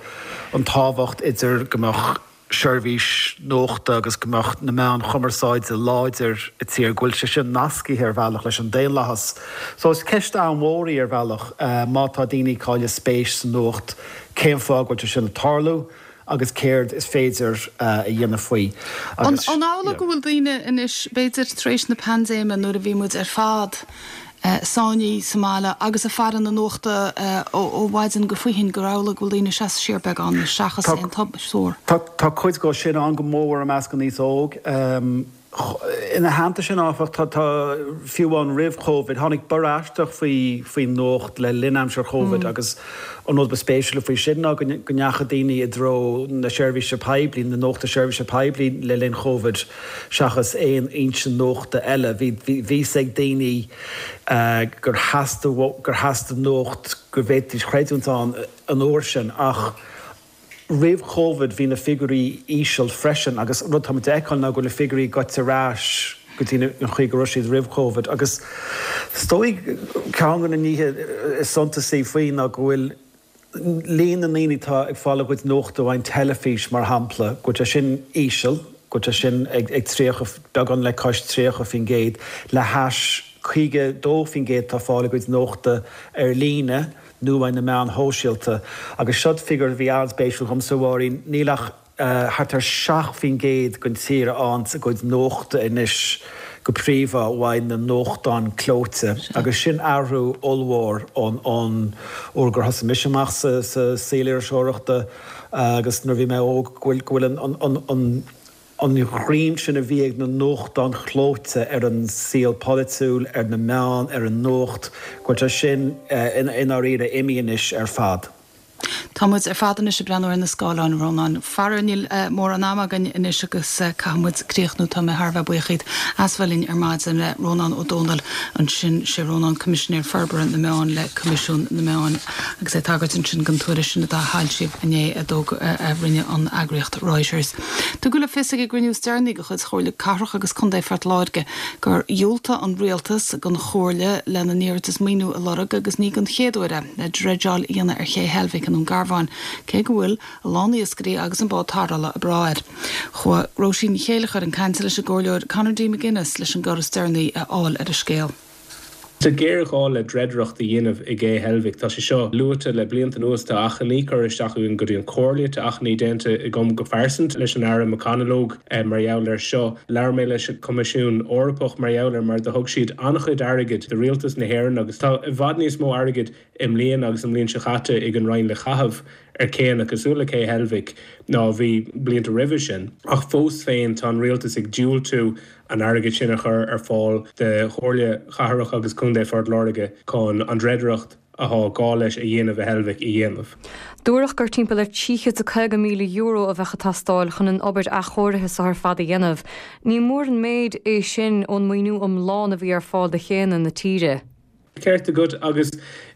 an tábhacht idir go mbeadh seirbhís nuachta agus go mbeadh na meáin chumarsáide láidir i tír, go bhfuil sé sin nascaithe ar bhealach leis an daonlathas. So is ceist an-mhór í ar bhealach, má tá daoine ag cailleadh spéis sa nuacht, cén fáth go bhfuil sé sin ag tarlú agus céard is féidir a dhéanamh faoi. Agus. An amhlaidh go bhfuil daoine anois, b'fhéidir tar éis na paindéime nuair a bhí muid ar fad, sáinnithe sa mbaile agus ag faire na nuachta ó mhaidin go faoithin gur amhlaidh go bhfuil daoine ag seasamh siar beagán seachas aon tsórt. Tá cuid dhó sin ann go mór i measc an aos óg. Ina theannta sin, áfach, tá, fiú amháin roimh Covid, tháinig borradh aisteach faoin nuacht le linn aimsir Covid agus an rud ba spéisiúla faoi sin ná go ndeachaigh daoine i dtreo na seirbhíse poiblí, na nuachta seirbhíse poiblí le linn Covid. seachas aon fhoinse nuachta eile. Bhí fhios ag daoine gur theastaigh gur theastaigh nuacht go bhféadfaidís creidiúint ann an uair sin ach roimh Covid bhí na figiúirí íseal freisin agus rud atá muid a fheiceáil ná go bhfuil na figiúirí goite ar ais go dtí an chaoi go raibh siad roimh Covid agus is dóigh ceann de na nithe is suntasaí faoi ná go bhfuil líon na ndaoine atá ag fáil a gcuid nuachta ón teilifís, mar shampla, go bhfuil sé sin íseal, go bhfuil sé sin ag 30, beagán le cois 30%, le hais 52% atá ag fáil a gcuid nuachta ar líne. nó uaidh na meáin shóisialta. Agus seod figiúr a bhí an-spéisiúil dhomsa, a Mháirín, níl ach thart ar 7% den tír a fhaigheanns a gcuid nuachta anois go príomha uaidh na nuachtáin clóite agus sin athrú ollmhór ón uair gur thosaigh mise amach sa saol iriseoireachta agus nuair a bhí mé óg go bhfuil an an ghreim sin a bhí ag na nuachtáin chlóite ar an saol polaitiúil, ar na meáin, ar an nuacht, go bhfuil sé sin i ndáiríre imithe anois ar fad. Tá muid ar fad anois ag breathnú ar na scáileáin, a Rónáin. Faraor níl mórán ama againn anois agus caithfidh muid críochnú. Tá mé thar a bheith buíoch dhíot as bheith linn ar maidin. Rónán Ó Domhnaill ansin. Sé Rónán Coimisinéir Forbartha na Meán le Coimisiún na Meán agus é ag tagairt ansin don tuairisc sin atá foilsithe inné a a rinne an eagraíocht Reuters. Tugadh le fios ag an gcruinniú is deireanaí de chuid Chomhairle Cathrach agus Contae Phort Láirge gur dhiúltaigh an Rialtas don Chomhairle lena n-iarratas maoiniú a lorg agus ní don chéad uair é, le dreideáil a dhéanamh ar Ché Heilbhic i nDún Garbhán, cé go bhfuil a lán iascairí agus an bád tarrthála ag brath air. Chuaigh Róisín Ní Chéileachair chun cainte leis an gComhairleoir Conor D. McGuinness leis an gcor is deireanaí a fháil ar an scéal. Tá géarghá le dreidireacht a dhéanamh i gCé Heilbhic. Tá sé seo luaite le blianta anuas. Tá achainí curtha isteach againn go dtí an Chomhairle. Tá achainí déanta agam go pearsanta leis an Aire McConalogue mar gheall air seo. Labhair mé leis an Choimisiún Eorpach mar gheall air mar do thug siad an-chuid airgid do Rialtas na hÉireann agus tá i bhfad níos mó airgid i mbliana agus an bhliain seo chaite ag an Roinn le caitheamh ar chéanna cosúil le Cé Heilbhic ná a bhí blianta roimhe sin. Ach fós féin tá an Rialtas ag diúltú an airgead sin a chur ar fáil do Chomhairle Chathrach agus Contae Phort Láirge chun an dreidireacht athá gá leis a dhéanamh i Heilbhic a dhéanamh. Dúradh gur timpeall ar €350,000 a bheadh ag teastáil chun an obair athchóirithe seo ar fad a dhéanamh. Ní mór an méid é sin ón maoiniú iomlán a bhí ar fáil do chéanna na tíre. Ceart agat, agus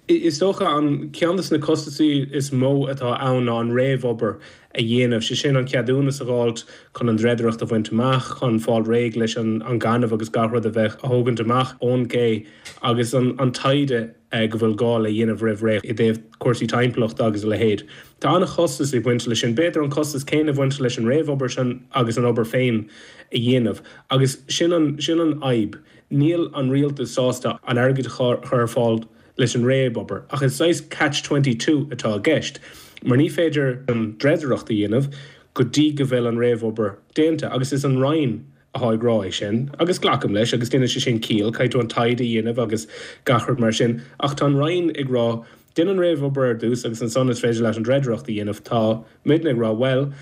is dócha an ceann de na costasaí is mó atá ann ná an réamhobair a dhéanamh, sé sin an ceadúnas a dh'fháilt chun an dreidireacht a bhaint amach, chun fáil réidh leis an gaineamh agus gach rud a bheith a thógaint amach ón gcé agus an taighde go bhfuil gá le dhéanamh roimh ré i dtaobh cúrsaí timpeallachta agus a leithéid. Tá an-chostas ag baint leis sin, b'fhéidir an costas céanna ag baint leis an réamhobair sin agus an obair féin a dhéanamh agus sin an sin an fhadhb. Níl an rialtas sásta an airgead a chur ar fáil leis an réamhobair, ach is saghas catch 22 atá i gceist, mar ní féidir an dreidireacht a dhéanamh go dtí go bhfuil an réamhobair déanta, agus is an Roinn atá ag rá é sin, agus glacaim leis, agus déanann sé sin ciall, caithfidh tú an taighde a dhéanamh agus gach rud mar sin, ach tá an Roinn ag rá, déan an réamhobair ar dtús agus ansan is féidir leat an dreidireacht a dhéanamh. Tá muidne ag rá, bhuel,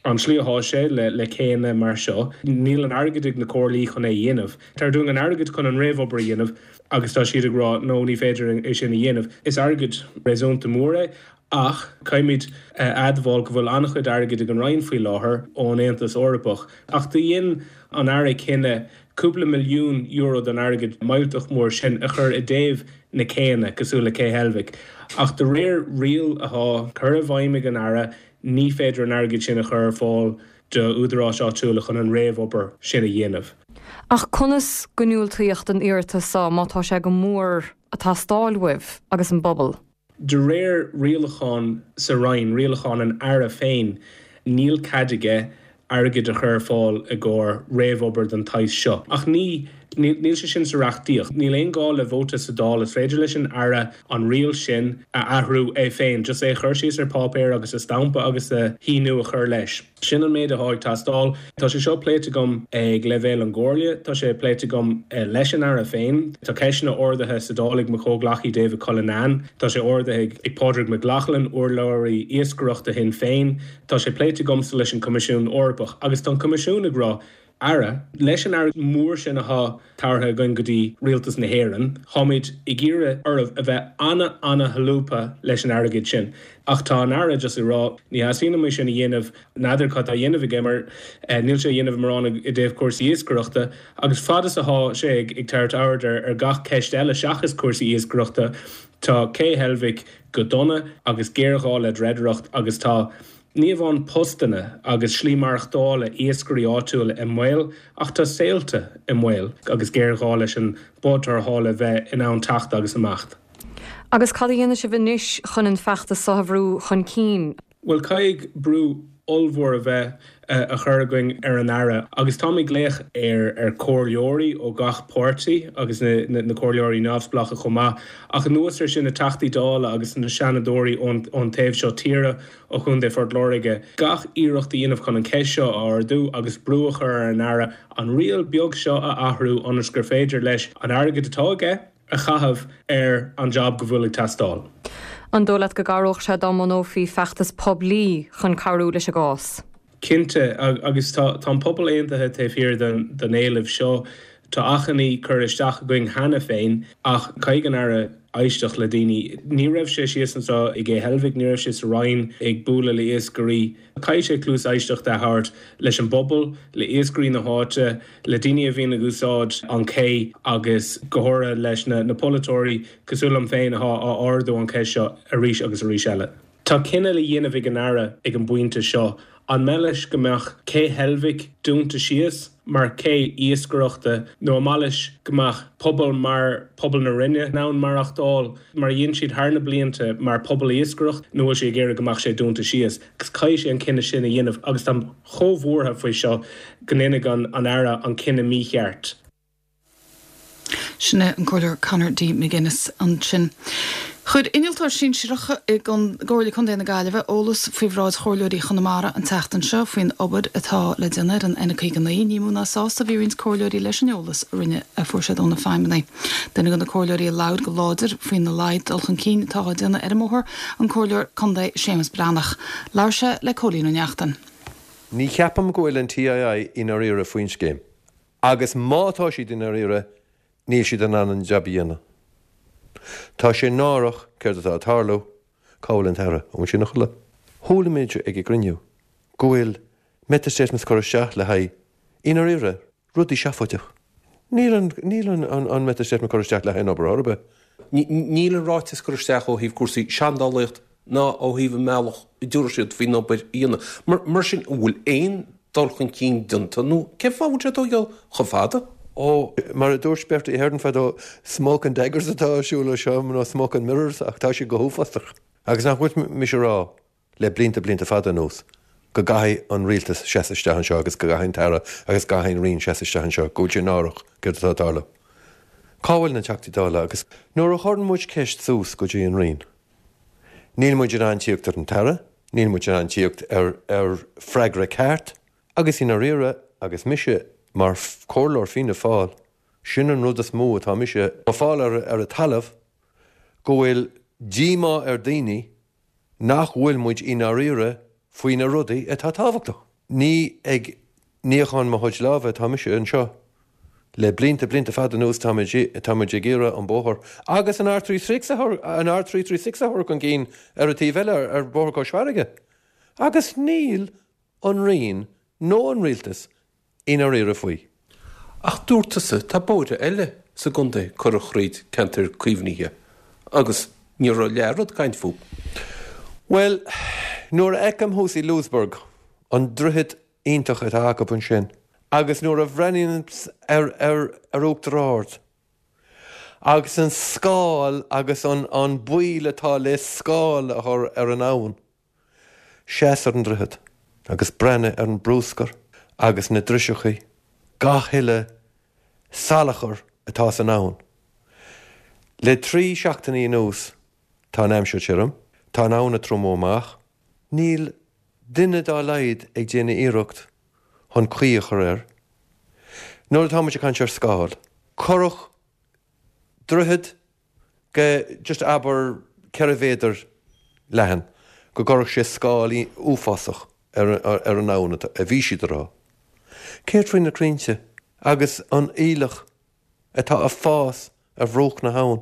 an tslí athá sé le le céanna mar seo, níl an airgead ag na comhairlí chun é a dhéanamh. Tabhair dúinn an airgead chun an réamhobair a dhéanamh agus tá siad ag rá, no, ní féidir é sin a dhéanamh. Is airgead réasúnta mór é ach caithfimid a admháil go bhfuil an-chuid airgid ag an Roinn faoi láthair ón Aontas Eorpach. Ach do dhein an Aire cinneadh cúpla milliún euro den airgead millteach mór sin a chur i dtaobh na céanna, cosúil le Cé Heilbhic. Ach de réir riail athá curtha i bhfeidhm ag an Aire, ní féidir an airgead sin a chur ar fáil d'údaráis áitiúla chun an réamhobair sin a dhéanamh. Ach conas go ndiúltaíodh don iarratas seo má tá sé go mór ag teastáil uaibh agus an bpobal? De réir rialachán sa Roinn, rialachán an Aire féin, níl cead aige airgead a chur ar fáil i gcomhair réamhobair den tsaghas seo. Ach ní, níl sé sin sa reachtaíocht. Níl aon gá le vóta sa Dáil. Is féidir leis an Aire an riail sin a athrú é féin, just é a chur síos ar páipéar agus a stampa agus a shíniú a chur leis. Sin an méid athá ag teastáil. Tá sé seo pléite agam ag leibhéal an gComhairle, tá sé pléite agam leis an Aire féin. Tá ceisteanna ardaithe sa Dáil ag mo chomhghleacaí David Cullinane, tá sé ardaithe ag Pádraig Mac Lochlainn, urlabhraí iascaireachta Shinn Féin. Tá sé pléite agamsa leis an Coimisiún Eorpach agus tá an Coimisiún ag rá, Aire, leis an airgead mór sin athá tabhartha againn go dtí Rialtas na hÉireann, táimid ag iarraidh oraibh a bheith ana-ana-sholúbtha leis an airgead sin. Ach tá an Aire just ag rá, ní theastaíonn uaim é sin a dhéanamh, n'fheadar cad tá á dhéanamh aige mar níl sé á dhéanamh mórán i dtaobh cúrsaí iascaireachta agus fad is athá sé ag tabhairt aird ar gach ceist eile seachas cúrsaí iascaireachta, tá Cé Heilbhic go dona agus géarghá le dreidireacht agus tá Ní amháin postanna agus slí maireachtála iascairí áitiúla i mbaol ach tá saolta i mbaol agus géarghá leis an bád tarrthála bheith in ann teacht agus imeacht. Agus cad a dhéanfaidh sibh anois chun an feachtas seo a bhrú chun cinn? Bhuel, caithfidh brú. ollmhór a bheith á chur againn ar an Aire agus táim ag glaoch ar ar chomhairleoirí ó gach páirtí agus na na comhairleoirí neamhspleácha chomh maith ach anuas ar sin na Teachtaí Dála agus na Seanadóirí ón ón taobh seo tíre ó Chontae Phort Láirge gach iarracht a dhéanamh chun an cheist seo a ardú agus brú a chur ar an Aire an riail beag seo a athrú ionas gur féidir leis an airgead atá aige a chaitheamh ar an jab go bhfuil ag teastáil. An dóigh leat go gcabhródh sé dá mbunófaí feachtas poiblí chun cabhrú leis an gcás? Cinnte, agus tá an pobal aontaithe taobh thiar den éileamh seo. Tá achainí curtha isteach againn cheana féin ach caithfidh an Aire éisteacht le daoine. Ní raibh sé síos anseo i gCé Heilbhic, ní raibh sé sa Rinn ag bualadh le iascairí. Caithfidh sé cluas éisteachta a thabhairt leis an bpobal, le iascairí na háite, le daoine a bhíonn ag úsáid an ché agus go háirithe leis na polaiteoirí cosúil liom féin atá á ardú an cheist seo arís agus arís eile. Tá cinneadh le dhéanamh ag an Aire ag an bpointe seo. An maith leis go mbeadh Cé Heilbhic dúnta síos mar ché iascaireachta nó an maith leis go mbeadh pobal mar pobal na Rinne in ann maireachtáil mar a dhein siad thar na blianta mar pobal iascaireachta nó bhfuil sé ag iarraidh go mbeadh sé dúnta síos? Agus caithfidh sé an cinneadh sin a dhéanamh agus táim chomh buartha faoi seo go ndéanfaidh an Aire an cinneadh mícheart. Sin é an Comhairleoir Conor D. McGuinness ansin. Chuir innealtóir sinsearach i gComhairle Contae na Gaillimhe eolas faoi bhráid chomhairleoirí Chonamara an tseachtain seo faoin obair atá le déanamh ar an N59. Ní mó ná sásta a bhí roinnt comhairleoirí leis an eolas a rinne a fuair siad ó na feidhmeannaigh. Duine de na comhairleoirí a labhair go láidir faoina laghad dul chun cinn atá á déanamh ar an mbóthar, an Comhairleoir Contae Séamus Breathnach. Labhair sé le Cóilín Ó Neachtain. Ní cheapaim go bhfuil an TII i ndáiríre faoin scéim. Agus má tá siad i ndáiríre, níl siad in ann an jab a dhéanamh. Tá sé náireach céard atá ag tarlú, cá bhfuil an tAire? An bhfuil sé ina chodladh? Chuala muid ag an gcruinniú go bhfuil method statements curtha isteach le haghaidh, i ndáiríre, rudaí seafóideach. Níl an, níl an, an method statement curtha isteach le haghaidh an obair ar bith. Níl an ráiteas curtha isteach ó thaobh cúrsaí seandálaíocht ná ó thaobh an mbealach a dtabharfaidh siad faoin obair a dhéanamh. Mar sin, an bhfuil aon dul chun cinn déanta nó cén fáth a bhfuil sé ag tógáil chomh fada? Ó, mar a dúirt Bertie Ahern fadó, smoke and daggers atá ar siúl anseo, nó smoke and mirrors, ach tá sé go huafásach. Agus nach bhfuil mise ag rá le blianta, blianta fada anuas, go gcaithfidh an rialtas seasamh isteach anseo agus go gcaithfidh an tAire agus go gcaithfidh an Roinn seasamh isteach anseo, go bhfuil sé náireach céard atá ag tarlú. Cá bhfuil na Teachtaí Dála agus nuair a chuireann muid ceist suas go dtí an Roinn, Níl muid in ann tíocht ar an tAire, níl muid in ann tíocht ar ar freagra ceart agus i ndáiríre agus mise mar chomhairleoir Fianna Fáil, sin an rud is mó atá mise ag fáil ar ar an talamh, go bhfuil díomá ar daoine nach bhfuil muid i ndáiríre faoi na rudaí atá tábhachtach. Ní ag níochán mo chuid lámha atá mise anseo. Le blianta, blianta fada anuas tá muid, tá muid ag iarraidh an bóthar agus an R336 a chur, an R336 a chur chun cinn ar an taobh eile, ar Bhóthar Cois Fharraige. Agus níl an Roinn nó an Rialtas i ndáiríre faoi. Ach dúirt tusa, tá bóithre eile sa gcontae curtha thríd ceantair caomhnaithe agus ní raibh leath-rud caint fúthu. Bhuel, nuair a fheicim thuas i Louisburgh an droichead iontach atá acu ansin agus nuair a bhreathnaím ar ar Uachtar Ard agus an scáil agus an an baol atá le scáil a chur ar an abhainn, seas ar an droichead agus breathnaigh ar an brúscar agus na driseachaí, gach uile salachar atá san abhainn. Le 3 seachtainí anuas tá an aimsir tirim, tá an abhainn ag triomú amach, níl duine dá laghad ag déanamh iarracht chun caoi a chur air. Nuair atá muid ag caint ar scáil, cuireadh droichead go just abair 4 mhéadar leathan, go gcuirfeadh sé scáil uafásach ar ar an abhainn a bhí siad a rá. Céard faoi na crainnte agus an aoileach atá ag fás ar bhruach na habhann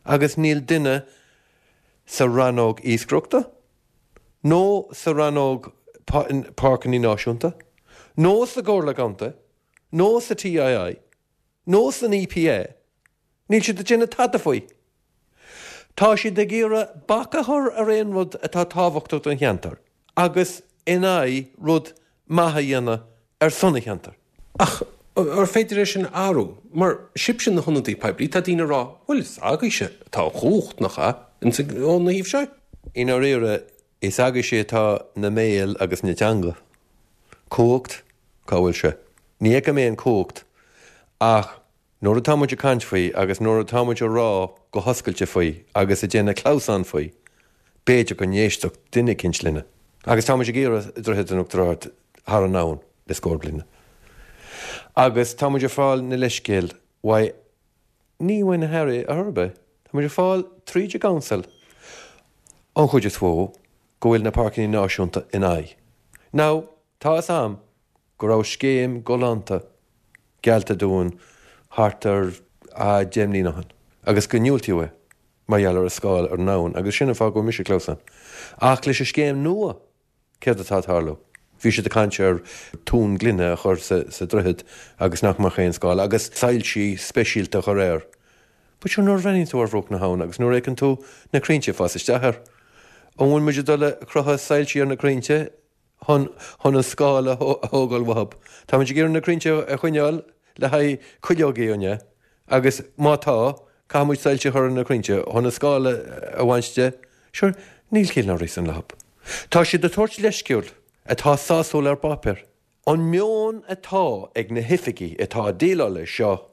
agus níl duine sa rannóg iascaireachta nó sa rannóg páirceanna náisiúnta nó sa gComhairle Contae nó sa TII nó san EPA, níl siad ag déanamh tada faoi. Tá siad ag iarraidh bac a chur ar aon rud atá tábhachtach don cheantar agus in aghaidh rud maith a dhéanamh ar son an cheantair. Ach ar féidir é sin a athrú? Mar sibhse na hionadaithe poiblí, tá daoine ag rá, bhuel is agaibhse atá an chumhacht, nach ea, ón thaobh seo? I ndáiríre. Is agaibhse atá na mbéal agus na teanga. Cumhacht? Cá bhfuil sé? Ní fheicim aon chumhacht ach nuair atá muid ag caint faoi agus nuair atá muid ag rá go hoscailte faoi agus ag déanamh clamhsán faoi, b'fhéidir go n-éistfeadh duine eicínt linne. Agus tá muid ag iarraidh Droichead in Uachtar Ard thar an abhainn le scór bliana. Agus tá muid ag fáil na leithscéil uaidh Ní uaidh na hAirí ar chor ar bith. Tá muid ag fáil tríd an gcouncil an chuid is mhó go bhfuil na Páirceanna Náisiúnta in aghaidh. Now, tá fhios a'm go raibh scéim galánta geallta dúinn thart ar 10 mbliana ó shin agus go ndiúltaíodh é mar gheall ar an scáil ar an abhainn agus sin an fáth go bhfuil mise ag clamhsán. Ach leis an scéim nua, Céard atá ag tarlú? Bhí siad ag caint ar tóin gloine a chur sa droichead agus nach mbeadh aon scáil, agus soilsí speisialta a chur air. But sure, nuair a bhreathnaíonn tú ar bhruach na habhann agus nuair a fheiceann tú na crainnte ag fás isteach air, an bhfuil muid ag dul a crochadh soilsí ar na crainnte chun chun an scáil a thógáil uathu? Tá muid ag iarraidh na crainnte a choinneáil le haghaidh cuileogaí, an ea? Agus má tá, caithfidh muid soilse a chur ar na crainnte chun an scáil a bhaint de. Sure, níl ciall ná réasún leo. Tá siad ag tabhairt leithscéal atá sásúil ar bpáipéar. An meon atá ag na hoifigigh atá ag déileáil leis seo,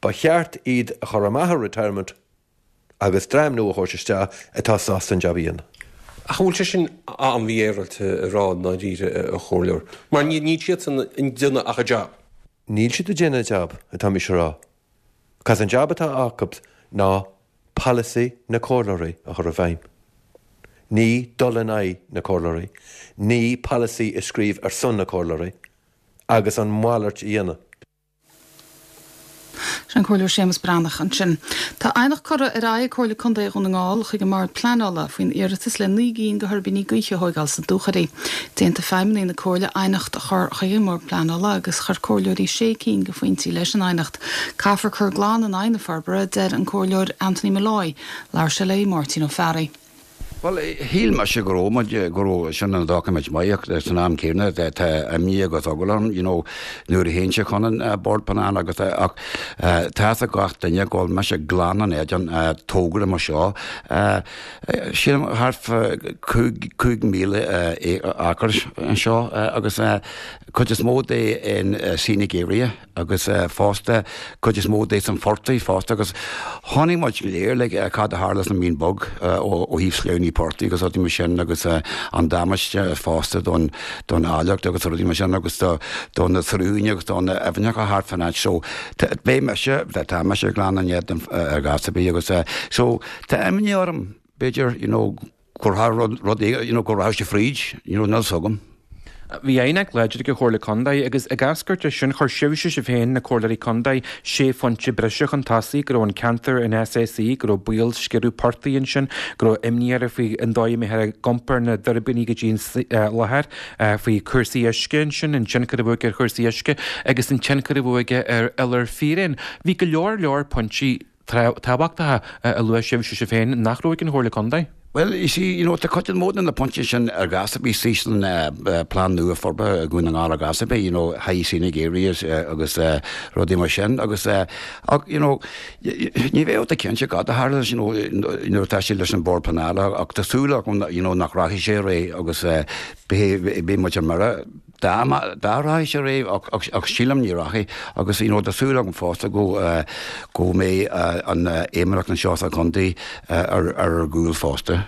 ba cheart iad a chur amach ar retirement agus dream nua a thabhairt isteach atá sásta an jab a dhéanamh. Ach an bhfuil sé sin an-mhífhéaráilte a rá i ndáiríre, a Chomhairleoir? Mar níl siadsan ag déanamh ach a jab. Níl siad ag déanamh a jab, atá mise a rá. Cos an jab atá acu ná polasaí na comhairleoirí a chur i bhfeidhm. Ní dul in aghaidh na comhairleoirí, ní polasaí a scríobh ar son na comhairleoirí agus an mhalairt a dhéanamh. Sin an Comhairleoir Séamus Breathnach ansin. Tá aighneacht curtha ar aghaidh ag Comhairle Contae Dhún na nGall chuig an mBord Pleanála faoin iarratas le 9 gcinn de thuirbíní gaoithe a thóigeáil sna Dúchoraidh. D'aontaigh feidhmeannaigh na Comhairle aighneacht a chur chuig an mBord Pleanála agus chuir comhairleoirí sé cinn de phointí leis an aighneacht. Caithfear cur glan in aghaidh na forbartha, a deir an Comhairleoir Anthony Molloy. Labhair sé le Máirtín Ó Fearraigh. Bhuel, shíl mise go raibh muid, go raibh sin an doiciméid maith ach san am céanna tá imní agus eagla orm, you know, nuair a théann sé chun an Bord Pleanála agus ach tá fhios ag gach duine go bhfuil mise glan in éadan togra mar seo. Sílim thart fá 5,000 acre anseo agus cuid is mó de in scenic area. agus fosta cuid is mó de san phortach fosta agus chonaic muid go léir like cad a tharla san Mín Bog ó thaobh sleamhnaí portaigh agus rudaí mar sin agus an damáiste fosta don don áilleacht agus rudaí mar sin agus do do na sruthanna agus do na aibhneacha thart fán áit so beidh mise tá mise glan in éadan ar ghas ar bith agus so tá imní orm b'fhéidir you know gur thar rud you know go rachaidh sé fríd, you know, níl 'fhios agam. Bhí aighneacht láidir ag an Chomhairle Contae agus ag eascairt as sin chuir sibhse, sibh féin, na Comhairleoirí Contae, sé phointe breise chun tosaigh, go raibh an ceantar in SAC, go raibh baol sciorradh portaigh ansin, go raibh imní oraibh faoi an dóigh a mbeifear ag iompar na dtuirbíní go dtí an láthair, faoi chúrsaí uisce ansin, an tionchar a bheadh aige ar chúrsaí uisce agus an tionchar a bheadh aige ar iolar fíréan. Bhí go leor leor pointí. tábhachtacha a luaigh sibhse sibh féin nach raibh ag an Chomhairle Contae. Bhuel, you see, you know, tá cuid mhór de na pointí sin ar ghas ar bith san plean nua forbartha i gCuan na nGall ar ghas ar bith, you know, high scenic areas agus rudaí mar sin agus ach, you know, ní bheadh tú cinnte cad a tharla leis, you know, nuair atá sé leis an Bord Pleanála ach tá súil agam, you know, nach rachaidh sé ar aghaidh agus beidh muid ar mire. Dá rachadh sé ar aghaidh, ach sílim ní rachaidh, agus you know tá súil agam fosta go go mbeidh an fheidhmeannacht anseo sa chontae ar ár gcúl fosta.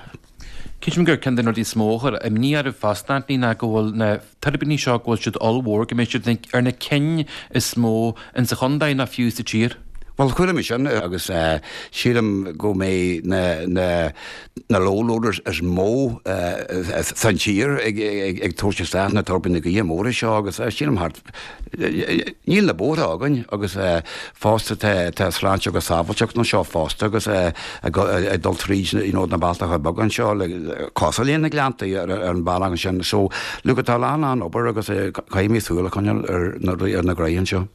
Creidim gur ceann de na rudaí is mó a chuir imní oraibh fosta, Anthony, ná go bhfuil na tuirbíní seo, go bhfuil siad ollmhór, go mbeidh siad ar na cinn is mó insa chontae nó fiú sa tír. Bhuel, chuala mé sin agus sílim go mbeidh na na na low loaders is mó san tír ag tabhairt isteach na tuirbíní gaoithe móra seo agus sílim thart, níl na bóithre againn agus fosta tá sláinte agus sábháilteacht anseo fosta agus ag dul tríd you know na bealtacha beaga anseo le cosúil le na Gleanntaí ar an bhealach ansin so look tá a lán lán obair agus caithfidh mé súil a choinneáil ar na gnoithe anseo.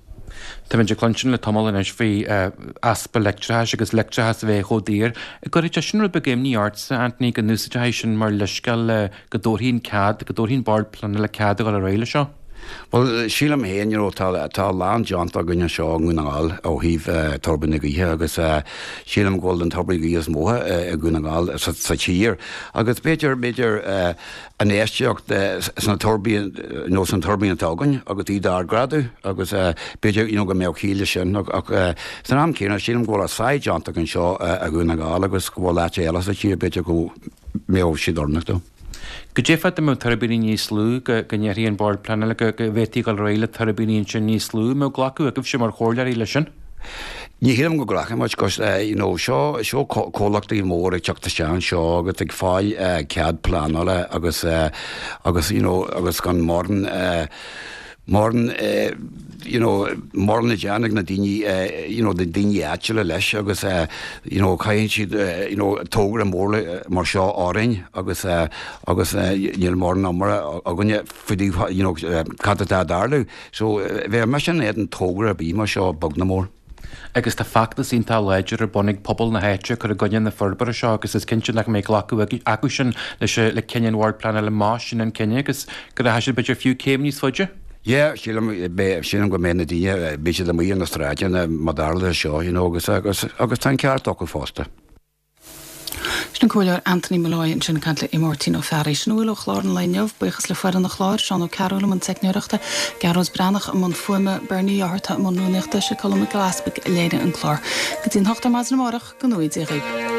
Táimid ag cluinstin le tamall anois faoi easpa leictreachais agus leictreachas a bheith chomh daor. An gcuirfeadh sé sin rud beag imní ortsa, Anthony, go n-úsáidfí sin mar leithscéal le go dtabharfaí an cead, go dtabharfaí an Bord Pleanála cead a dhul ar aghaidh leis seo? Bhuel, sílim féin, you know, tá, tá a lán déanta againn anseo i nDún na nGall ó thaobh tuirbíní gaoithe agus sílim go bhfuil an tuirbín gaoithe is mó i nDún na nGall sa, sa tír. Agus b'fhéidir, b'fhéidir infheistíocht sna tuirbín, you know, san tuirbín atá againn agus iad a ardghrádú agus b'fhéidir, you know, go mbeadh ciall leis sin. Ach san am céanna, sílim go bhfuil a sáith déanta againn anseo i nDún na nGall agus go bhfuil áit eile sa tír, b'fhéidir go mbeadh siad oiriúnach dó. Goidé fá dá mbeadh tuirbíní níos lú, go ndéarfaidh an Bord Pleanála go bhféadfaí dul ar aghaidh le tuirbíní ansin níos lú, an mbeadh glacadh agaibhse mar chomhairleoirí leis sin? Ní shílim go nglacfaidh muid 'cause you know seo seo comhlachtaí mór ag teacht isteach anseo agus ag fáil cead pleanála agus agus you know agus gan mórán mórán you know mórán le déanamh ag na daoine you know na daoine áitiúla leis agus you know caitheann siad you know togra mór mar seo orainn agus agus níl mórán iomrá againne faoi dtaobh you know cad atá ag tarlú. So bheadh mise in éadan togra ar bith mar seo beag nó mór. Agus tá feachtas iontach láidir ar bun ag pobal na háite ag cur i gcoinne na forbartha seo agus is cinnte nach mbeidh glacadh acu sin leis le cinneadh an Bhoird Pleanála más sin an cinneadh agus go rachaidh siad b'fhéidir fiú céim níos faide. Yeah, sílim, sílim go mbeidh na daoine, beidh siad amuigh ar na sráideanna má tharla seo, you know, agus, agus, agus tá an ceart acu fosta. Sin an Comhairleoir Anthony Molloy ansin ag caint le Máirtín Ó Fearraigh. Sin a bhfuil ó chlár an lae inniu. Buíochas le foireann an chláir, Seán Ó Cearúil i mbun teicneoireachta, Gearóid Breathnach i mbun fuaime, Bernie Ó hEarta i mbun rúnaíochta, sé Colm Mac Giolla Easpaig a léirigh an clár. Go dtí an hocht ar maidin amárach, go ngnóthaí Dia dhaoibh.